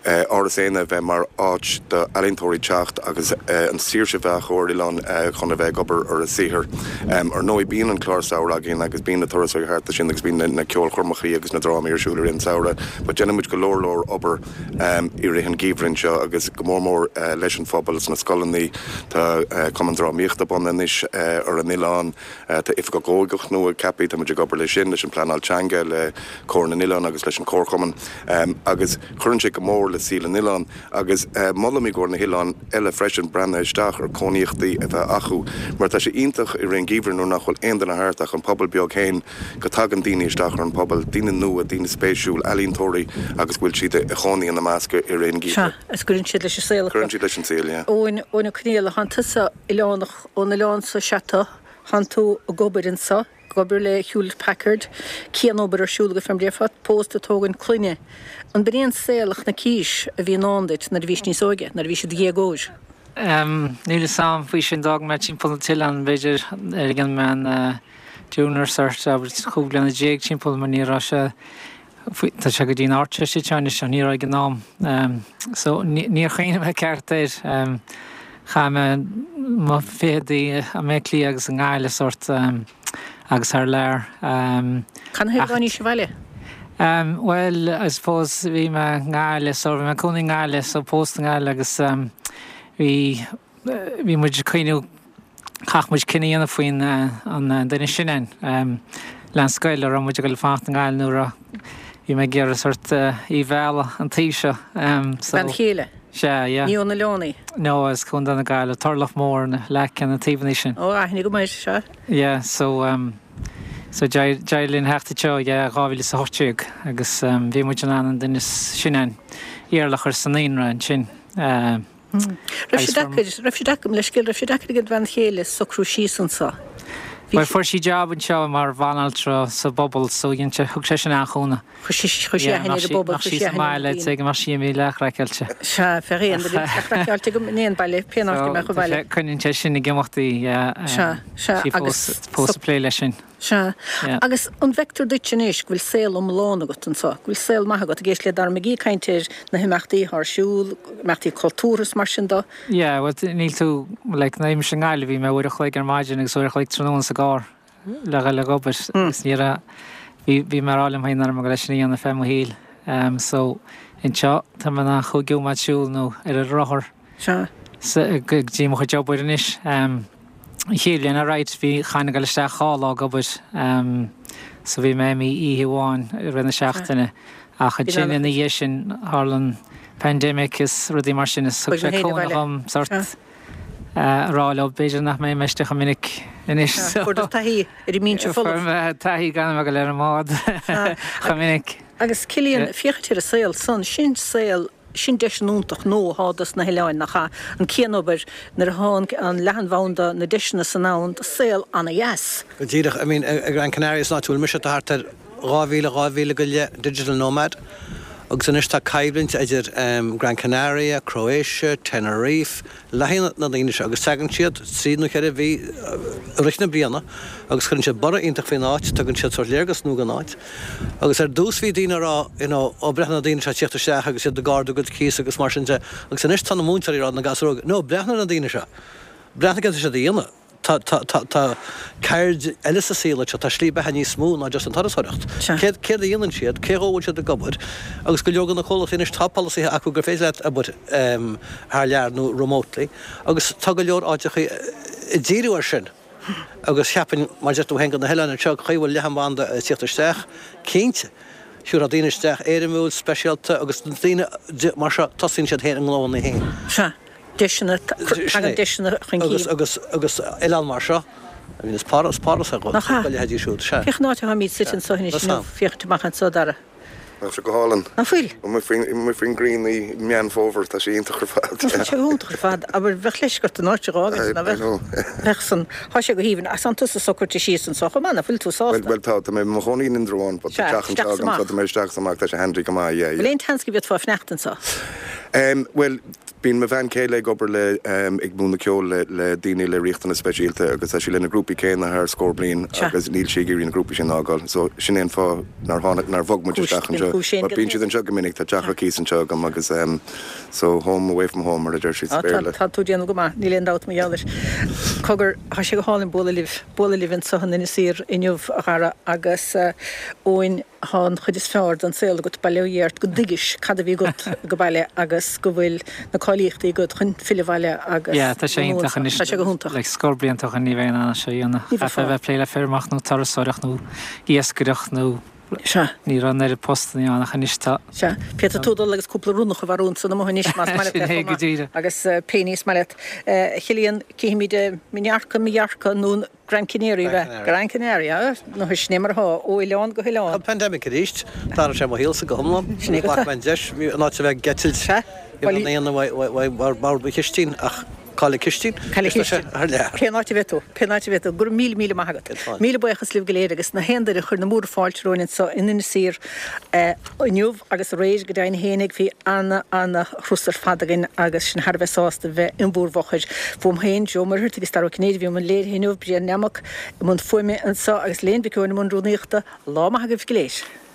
Áras Éanna a bheith mar áit d'ealaíontóirí teacht agus an saoirse a bheith acu ar oileán chun a bheith ag obair ar a saothar. Ar ndóigh bíonn an clár samhraidh againn agus bíonn na turasóirí thart ansin agus bíonn na ceolchoirmeacha agus na drámaí ar siúl i rith an tsamhraidh but déanann muid go leor leor obair i rith an gheimhridh anseo agus go mór mór leis an phobal sna scoileanna. Tá cumann drámaíochta bunaithe anois ar an oileán. Tá oifigeach óige nua ceaptha, tá muid ag obair leis sin, leis an pleanáil teanga, le Comhar na nOileán agus leis an Chomharchumann agus cuireann sé go mór le saol an oileáin agus molaim i gcomhair na hoileáin eile freisin breathnú isteach ar cónaíochtaí a bheith acu mar tá sé iontach i rith an gheimhridh nuair nach bhfuil aon duine thart ach an pobal beag féin go dtagann daoine isteach ar an pobal, daoine nua, daoine spéisiúil, ealaíontóirí agus go bhfuil siad i chónaí ina measc i rith an Sea, gheimhridh. agus cuireann siad leis an saol acu. Cuireann siad leis an saol, yeah. Eoin, Eoin Ó Conghaile, thánn tusa oileánach ón oileán so sea tú, thánn tú ag obair anso, ag obair le Hewlett Packard, cianobair ar siúl agat fé mar a déarfá, pósta, tógaint clainne. An b'in é an saol a chonaicis a bhí i ndán duit nuair a bhís níos óige, nuair a bhís i do dhéagóir? Níl fhios a'm faoi sin, d'fhág mé timpeall na t-oileán b'fhéidir ag an meán junior cert, abair chúig bliana déag timpeall mar ní raibh sé, tá sé go dtí an Ardteist anseo anois ach ní raibh ag an am. So níor chuimhnigh mé ceart air. Chaith mé mo fichidí i mBaile Átha Cliath agus i nGaillimh sórt agus thar lear. Canathaobh a tháinís abhaile? Bhuel, I suppose bhí mé i nGaillimh so bhí mé ag cónaí i nGaillimh so pósta i nGaillimh agus bhí bhí muid ag cuimhniú chaith muid cinneadh a dhéanamh faoin an duine sin ann le an scoil a raibh muid ag dul fanacht i nGaillimh nó raibh bhí mé ag iarraidh sort í a mhealladh an taobh seo so Bean chéile? Sea, yeah. Ní ón oileán í? No, as Contae na Gaillimhe, Turlach Mór, na Leaca, na taobhanna sin. Ó, aithne go maith, sea. Yeah, so so d'éirigh linn theacht anseo yeah dhá mhíle is a hocht déag agus bhí muid in ann an duine sin ann Iarla a chur sa naíonra ansin. Raibh sé deacair, raibh sé deacair, leithscéal, raibh sé deacair ag an bhean chéile socrú síos anseo? Bhuel, fuair sí job anseo mar bhanaltra sa bpobal so dhein sé, thug sé sin an-chúnamh. Chuir sí, chuir sí aithne ar an bpobal, chuir sí aithne ar na daoine. Go mbeadh sí imithe leathchraiceáilte. Sea, bheadh aon duine leathchraiceáilte agam in aon baile, pé áit a mbeadh an baile. Coinníonn sé sin ag imeacht í, yeah. Sea, sea, agus. Fós ag plé leis sin. Sea. Agus an bhfeictear duit anois go bhfuil saol iomlán agat anseo, go bhfuil saol maith agat, ag éisteacht le Dara McGee ag caint ar na himeachtaí atá ar siúl, imeachtaí cultúrtha is mar sin de? Yeah, bhuel níl tú, like, nuair a bhí mise i nGaillimh bhí mé uair a chloig ar maidin agus uair a chloig tráthnóna sa gcarr le dhul ag obair agus ní raibh, bhí, bhí mé ag rá liom féin nach raibh mé ag dul é sin a dhéanamh feadh mo shaoil. So, anseo tá mé in ann chúig nóiméad siúl nó ar an rothar. Sea. Go dtí mo chuid obair anois. An chéad bhliain alright bhí chaithfinn a dhul isteach dhá lá ag obair so bhí mé imithe oíche amháin i rith na seachtaine ach ansin ina dhiaidh sin tharla an pandemic is rudaí mar sin is thug sé cúnamh dhom sort a rá leo b'fhéidir nach mbeidh mé istigh chomh minic anois so. Fuair tú taithí ar an mbinse folamh. Fuair mé taithí gan a bheith ag dul ar an mbád chomh minic. Agus Cillian, féachaint ar an saol san, sin saol Sin deis iontach nua atá dos na hoileáin, nach ea? An cianobair, nuair atá an leathanbhanda, na deiseanna san ann, do saol ana-dheas. Go díreach. I mean, i Gran Canaria, san áit a bhfuil mise, tá thart ar dhá mhíle, dhá mhíle go leith digital nomad agus anois tá coimhlint idir Gran Canaria, Croatia, Tenerife, le haghaidh na ndaoine seo agus tagann siad trí nó ceithre mhí i rith na bliana agus cuireann siad borradh iontach faoin áit, tugann siad sórt léargas nua don áit. Agus ar dtús bhí daoine ag rá you know ó breathnaigh na daoine seo ag tíocht isteach agus iad ag ardú a gcuid cíos agus mar sin de agus anois tá na múinteoirí ag rá do na gasúir óga no breathnaigh ar na daoine seo, breathnaigh céard atá siad a dhéanamh. Tá, tá, tá, tá ceird eile sa saol anseo, tá slí beatha níos mó ná just an turasóireacht. Céard, céard a dhéanann siad, cé dhó a bhfuil siad ag obair? Agus go leor de na comhlachtaí anois tá polasaithe acu gur féidir leat obair thar lear nó remotely agus tá go leor áiteachaí ag díriú air sin. Agus cheapfainn, mar a deir tú féin, go na hoileáin anseo, chaoi a bhfuil leathanbhanda ag tíocht isteach, cinnte, thiúrfá daoine isteach éirimiúil, speisialta agus daoine mar seo, tosaíonn siad féin a ngnóanna féin. Sea. deiseanna, tagann deiseanna chun cinn. Agus, agus, agus oileán mar seo, I mean is Páras, Páras é Nach ea? do leithéidí siúd, sea. Féach an áit atáimid suite anseo anois Sea. inniu, féachaint amach anseo, Dara. Tá sé go hálainn. Nach bhfuil? Amuigh faoin, amuigh faoin ngrian i Meán Fómhair, tá sé iontach ar fad. Tá sé iontach ar fad. Abair, bheadh leisce ort an áit a dh'fhágaint, ná I bheadh? know. Bheadh san. Tá sé go haoibhinn. Ach tánn tusa socraithe síos anseo chomh maith, nach bhfuil tú sásta? Bhuel, bhuel tá, tá mé i mo chónaí in Indreabhán, but tá Sea, teach anseo isteach is agam, so amach. tá mé isteach is amach, tá sé handy go maith, yeah, Bhfuil yeah. aon tseans go bhféadfá fanacht anseo? Em, bhuel, Bíonn mo bhean chéile ag obair le, ag múineadh ceoil le, le daoine le riachtanais speisialta agus tá sí le na grúpaí céanna thar scór bliain Sea. agus níl sí ag iarraidh na grúpaí sin a fhágáil. So sin é an fáth nár tháinig, nár bhog muid Cúis, isteach bíonn anseo. cúis féin But go bíonn siad anseo go minic, tá teach ar cíos anseo agam agus em so home away from home mar a deir siad sa Á, tá, Bhéarla. tá tú ag déanamh go maith, níl aon dabht mar gheall air. Cogar, tá sé go hálainn bualadh libh, bualadh libh anseo in Inis Oírr inniu, a Dhara, agus eh, Eoin, Thá an chuid is fearr den saol agat, bail ó Dhia ort, go dtuigis cad a bhí agat go baile agus go bhfuil na cáilíochtaí agat chun filleadh abhaile agus Yeah, tá sé iontach anois. Tá sé go hiontach. Like scór blianta ó shin ní bheinn in ann é seo a dhéanamh. Ní Chaithfeá bheifeá. a bheith ag plé le feirmeoireacht nó turasóireacht nó iascaireacht nó Sea. ní raibh an oiread postanna ann ach anois tá. Sea. Féadfaidh tú dul agus cúpla ronnach a mharú ansan amuigh anois más maith leat Sin é é chomh go maith díreach. agus pé ní is maith leat. A Chillian, cífimid Minorca, Mallorca nó Gran Canaria, Gran Canaria. Gran Canaria, nó sin é mar atá, ó oileán go hoileán. Tá pandemic arís, d'athraigh sé mo shaolsa go hiomlán. Sin é go Ghlac mé an deis, in áit a bheith ag eitilt Sea, i mbun aon bhord mo chistín ach cá Cailleadh Cistín. Cailleadh Cistín. Thar lear. Pén áit a bheidh tú, pén áit a bheidh tú. Go raibh míle míle maith agat. Míle buíochas libh go léir agus na haon duine a chuir na múra fáilte romhainn anseo in Inis Oírr inniu agus aréir go deimhin fhéinig. Bhí ana, ana thuras ar fad againn agus sinn thar a bheith sásta bheith in bhúr bhfochair. Fúm féin, Joe Muircheartaigh agus Dara Ó Cinnéide a bhí i mbun léirithe inniu, Brian Nammock i mbun fuaime anseo agus Léan Mhic Eoin i mbun rúnaíochta. Lá maith agaibh go léir.